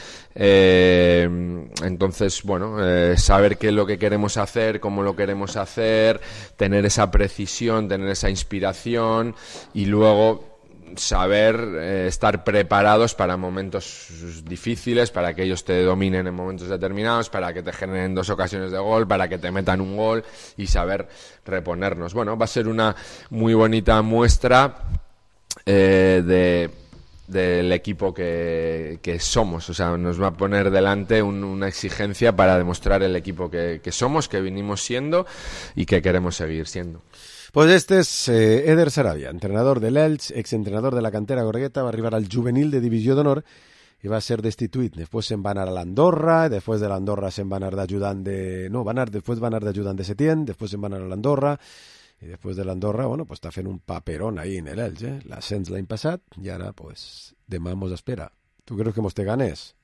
Entonces, bueno, saber qué es lo que queremos hacer, cómo lo queremos hacer, tener esa precisión, tener esa inspiración y luego saber estar preparados para momentos difíciles, para que ellos te dominen en momentos determinados, para que te generen 2 ocasiones de gol, para que te metan un gol y saber reponernos. Bueno, va a ser una muy bonita muestra del equipo que somos. O sea, nos va a poner delante una exigencia para demostrar el equipo que somos, que vinimos siendo y que queremos seguir siendo. Pues este es Eder Sarabia, entrenador de l'Elx, exentrenador de la cantera gorgueta, va a arribar al juvenil de Divisió d'Honor i va ser destituït. Després se'n va anar a l'Andorra, després de l'Andorra se'n va anar d'ajudant de... No, després va anar d'ajudant de Setién, després se'n va anar a l'Andorra, i després de l'Andorra, bueno, pues està fent un paperón ahí en l'Elx, l'ascens l'any passat, i ara, pues, demà mos espera. Tu creus que mos té ganes?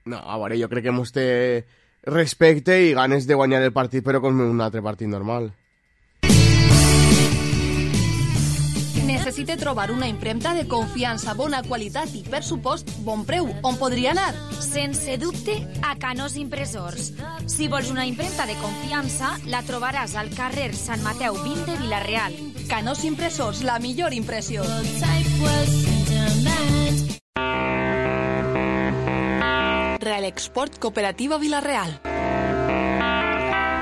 No, a veure, jo crec que mos té respecte i ganes de guanyar el partit, però com un altre partit normal. Necessita trobar una impremta de confiança, bona qualitat i, per supost, bon preu. On podria anar? Sense dubte, a Canós Impressors. Si vols una impremta de confiança, la trobaràs al carrer Sant Mateu 20 de Vila-real. Canós Impressors, la millor impressió. Real Export Cooperativa Vila-real.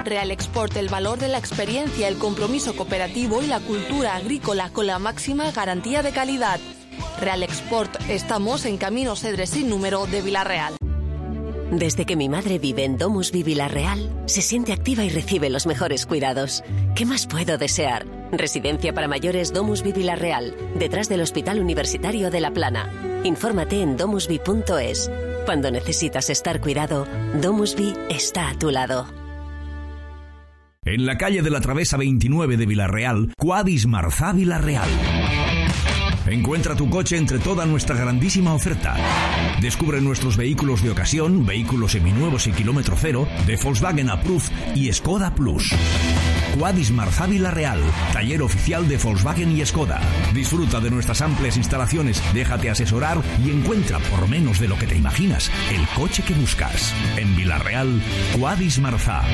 Real Export, el valor de la experiencia, el compromiso cooperativo y la cultura agrícola con la máxima garantía de calidad. Real Export, estamos en Camino Cedres sin número de Vila-real. Desde que mi madre vive en DomusVi Vila-real, se siente activa y recibe los mejores cuidados. ¿Qué más puedo desear? Residencia para mayores DomusVi Vila-real, detrás del Hospital Universitario de La Plana. Infórmate en domusvi.es. Cuando necesitas estar cuidado, DomusVi está a tu lado. En la calle de la Travesa 29 de Vila-real, Quadis Marzà Vila-real. Encuentra tu coche entre toda nuestra grandísima oferta. Descubre nuestros vehículos de ocasión, vehículos seminuevos y kilómetro cero, de Volkswagen Approved y Skoda Plus. Quadis Marzà Vila-real, taller oficial de Volkswagen y Skoda. Disfruta de nuestras amplias instalaciones, déjate asesorar y encuentra, por menos de lo que te imaginas, el coche que buscas. En Vila-real, Quadis Marzà.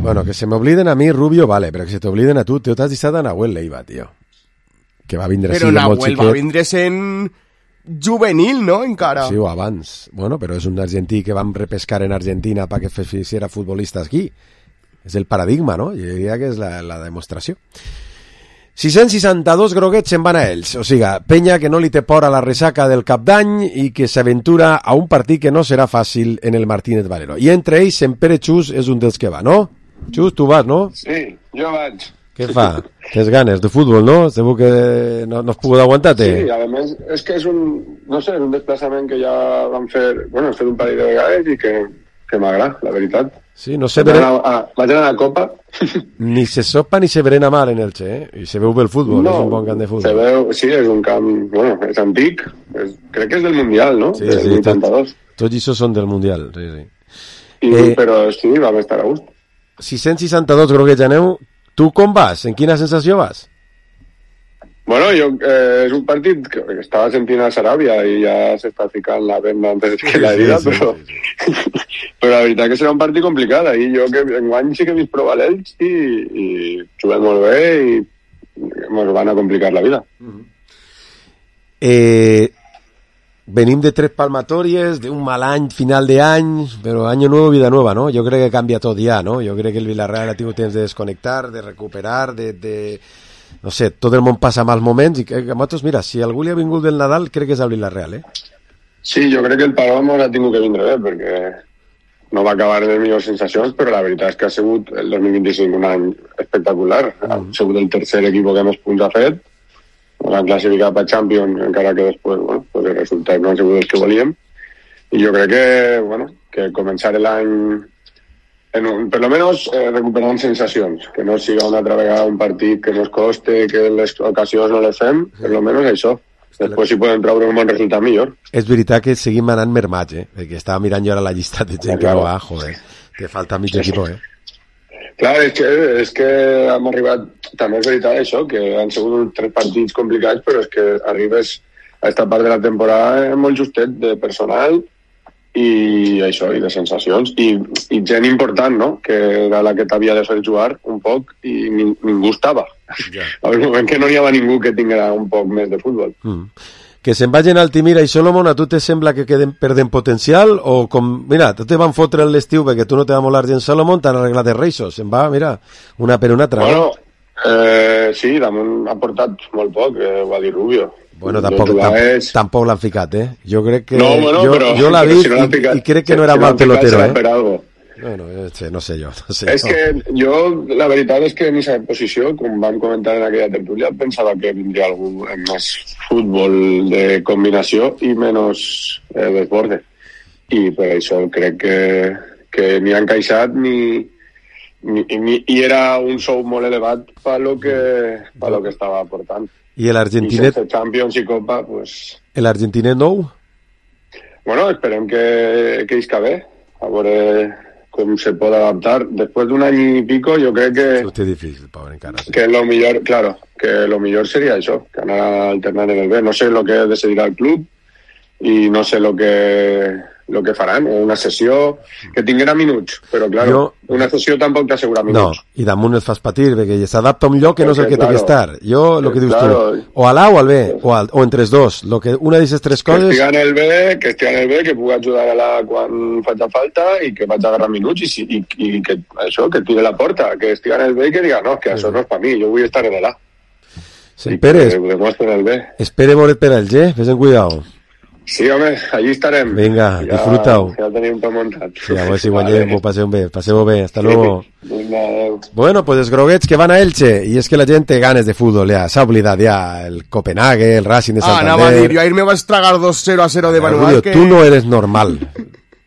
Bueno, que se me obliden a mi, Rubio, vale, però que se t'obliden a tu. T'ho has deixat a Nahuel Leiva, tio. Que va vindre però així molt xiquet. Però Nahuel va vindre sent juvenil, no, encara? Sí, o abans. Bueno, però és un argentí que vam repescar en Argentina perquè fes futbolista aquí. És el paradigma, no? Jo diria que és la demostració. 662 groguets se'n van a ells. O sigui, penya que no li té por a la ressaca del cap d'any i que s'aventura a un partit que no serà fàcil en el Martínez Valero. I entre ells, en Pere Xus és un dels que va, no? Xus, tu vas, no? Sí, jo vaig. Què fa? Tens ganes de futbol, no? Segur que no has pogut aguantar-te. Sí, a més, és que és un desplaçament que ja vam fer, bueno, hem fet un parell de vegades i que m'agrada, la veritat. Sí, no sé... Vaig anar a la Copa. Ni se sopa ni se berena mal en Elche, eh? I se veu bé el futbol, no, és un bon camp de futbol. Se veu, sí, és un camp, bueno, és antic, crec que és del Mundial, no? Sí, sí, tots això són del Mundial, sí, sí. Però sí, vam estar a gust. 662 groguets aneu. Tu com vas? En quina sensació vas? Bueno, és un partit que estava sentint a Saràbia i ja s'està ficant la venda antes que la herida, sí, però la veritat que serà un partit complicat. I jo que enguany sí que he vist prou a l'Elx i juguem molt bé i ens van a complicar la vida. Venim de 3 palmatorias, de un mal any, final de any, però año nuevo, vida nueva, ¿no? Jo crec que canvia tot ja, ¿no? Jo crec que el Villarreal ha tingut temps de desconnectar, de recuperar, no sé, tot el món passa mals moments i que nosaltres, mira, si algú li ha vingut del Nadal, crec que és el Villarreal, eh? Sí, jo crec que el Paloma ha tingut que vindre bé, perquè no va acabar de millors sensacions, però la veritat és que ha sigut el 2025 un any espectacular. Ha sigut el tercer equip que més punts ha fet, ens han classificat per Champions, encara que després, bueno, pues els resultats no han sigut els que volíem. I jo crec que, bueno, que començar l'any, per lo menos, recuperant sensacions, que no siga una altra vegada un partit que nos coste, que les ocasions no les fem, per lo menos això. Després si podem treure un bon resultat millor. És veritat que seguim anant mermats, perquè estava mirant jo ara la llista de gent que va, joder, te falta mig equip, eh? Clar, és que hem arribat també és veritat això, que han sigut 3 partits complicats, però és que arribes a esta part de la temporada molt justet de personal i això, i de sensacions, i gent important, no?, que era la que t'havia de fer jugar un poc i ningú estava. Al moment que no hi havia ningú que tinguera un poc més de futbol. Que se'n vagin Altimira i Solomon, a tu te sembla que perden potencial? O com, mira, tu te van fotre l'estiu perquè tu no te va molar gent Solomon, t'han arreglat els reixos, se'n va, mira, una per una altra. Bueno, sí, damunt ha portat molt poc, ho va dir Rubio. Bueno, tampoc l'han ficat, Jo crec que... No, bueno, jo l'ha vist i crec que no era mal pelotero, Per algo. Bueno, no sé jo. És que jo, la veritat és que en aquesta posició, com vam comentar en aquella tertúlia, pensava que vindria algú amb més futbol de combinació i menys desborde. I per això crec que ni ha encaixat i era un sou molt elevat per lo que estava aportant. I l'Argentinet? I sense Champions i Copa, pues... L'Argentinet nou? Bueno, esperem que isca bé, a veure com se pot adaptar. Després d'un any i pico, jo crec que... Hòstia, difícil, pobre, encara. Sí. Que lo millor, claro, que lo millor seria això, que anar alternant en el B. No sé lo que decidirà el club i no sé lo que faran, o una sessió que tinguera minuts, però claro, una sessió tampoc t'assegura minuts. No, i damunt et fas patir, perquè s'adapta a un lloc que no és el que té que estar. Jo, el que dius tu, o a l'A o al B, o entre els dos, una d'aquestes 3 coses... Que estigui en el B, que pugui ajudar a l'A quan faci falta i que vaig agarrar minuts i que això, que tire la porta, que estigui en el B i que diga, no, que això no és per mi, jo vull estar en l'A. Espere moret per al G, fes en cuidao. Sí, home, allí estarem. Venga, disfruta-ho. Ja tenim tot muntat. Sí, a veure si guanyem, passeu bé, hasta luego. Vinga, adeu. Bueno, pues els groguets que van a Elche, i és que la gent té ganes de futbol, ja, s'ha oblidat ja, el Copenhague, el Racing de Santander... anava a dir, jo ahir me vaig tragar 2-0 de manual que... Tu no eres normal.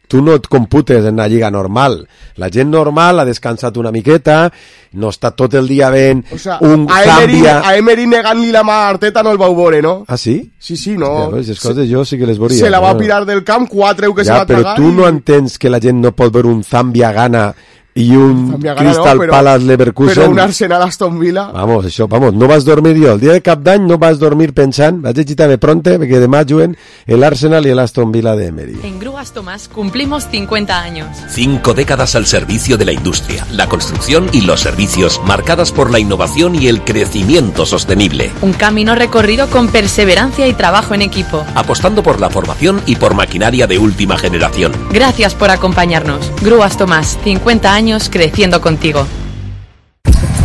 Tu no et computes en una lliga normal. La gent normal ha descansat una miqueta, no està tot el dia ben... O sea, un Zambia... A Emery negant-li la mà a Arteta no el vau veure, no? Ah, sí? Sí, no. Hòstia, pues, les coses jo sí que les veuria. Se la va pirar del camp, 4 que se va tragar... Ja, però tu no entens que la gent no pot veure un Zambia Ghana i un Crystal Palace Leverkusen. Però un Arsenal Aston Villa. Vamos, no vas dormir jo. El dia de cap d'any no vas dormir pensant, vaig llegir també pronte, perquè demà juguen el Arsenal y el Aston Villa de Emery. En Grúas Tomás cumplimos 50 años. 5 décadas al servicio de la industria, la construcción y los servicios, marcadas por la innovación y el crecimiento sostenible. Un camino recorrido con perseverancia y trabajo en equipo. Apostando por la formación y por maquinaria de última generación. Gracias por acompañarnos. Grúas Tomás, 50 años creciendo contigo.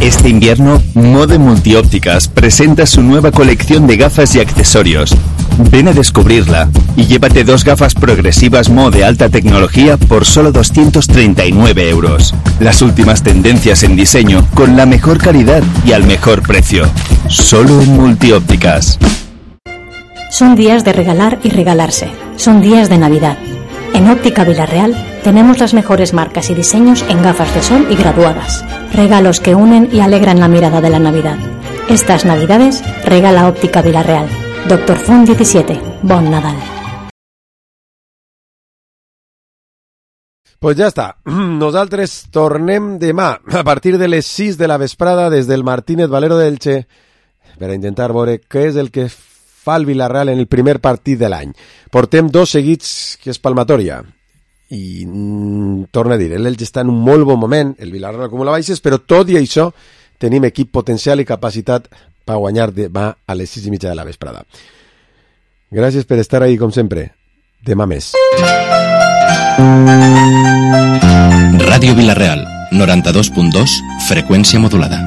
Este invierno, Mode Multiópticas presenta su nueva colección de gafas y accesorios. Ven a descubrirla y llévate 2 gafas progresivas Mode alta tecnología por solo 239 euros. Las últimas tendencias en diseño con la mejor calidad y al mejor precio. Solo en Multiópticas. Son días de regalar y regalarse. Son días de Navidad. En Óptica Villarreal tenemos las mejores marcas y diseños en gafas de sol y graduadas. Regalos que unen y alegran la mirada de la Navidad. Estas Navidades regala Óptica Villarreal. Dr. Font 17. Bon Nadal. Pues ja està. Nosaltres tornem demà a partir de les 6 de la vesprada des del Martínez Valero d'Elche per a intentar veure què és el que fa el Villarreal en el primer partit de l'any. Portem 2 seguits que és palmatòria. I torno a dir, l'Elche està en un molt bon moment, el Villarreal acumula baixes, però tot i això tenim equip potencial i capacitat per guanyar demà a les 6:30 de la vesprada. Gràcies per estar ahí, com sempre. Demà més. Ràdio Villarreal, 92.2, freqüència modulada.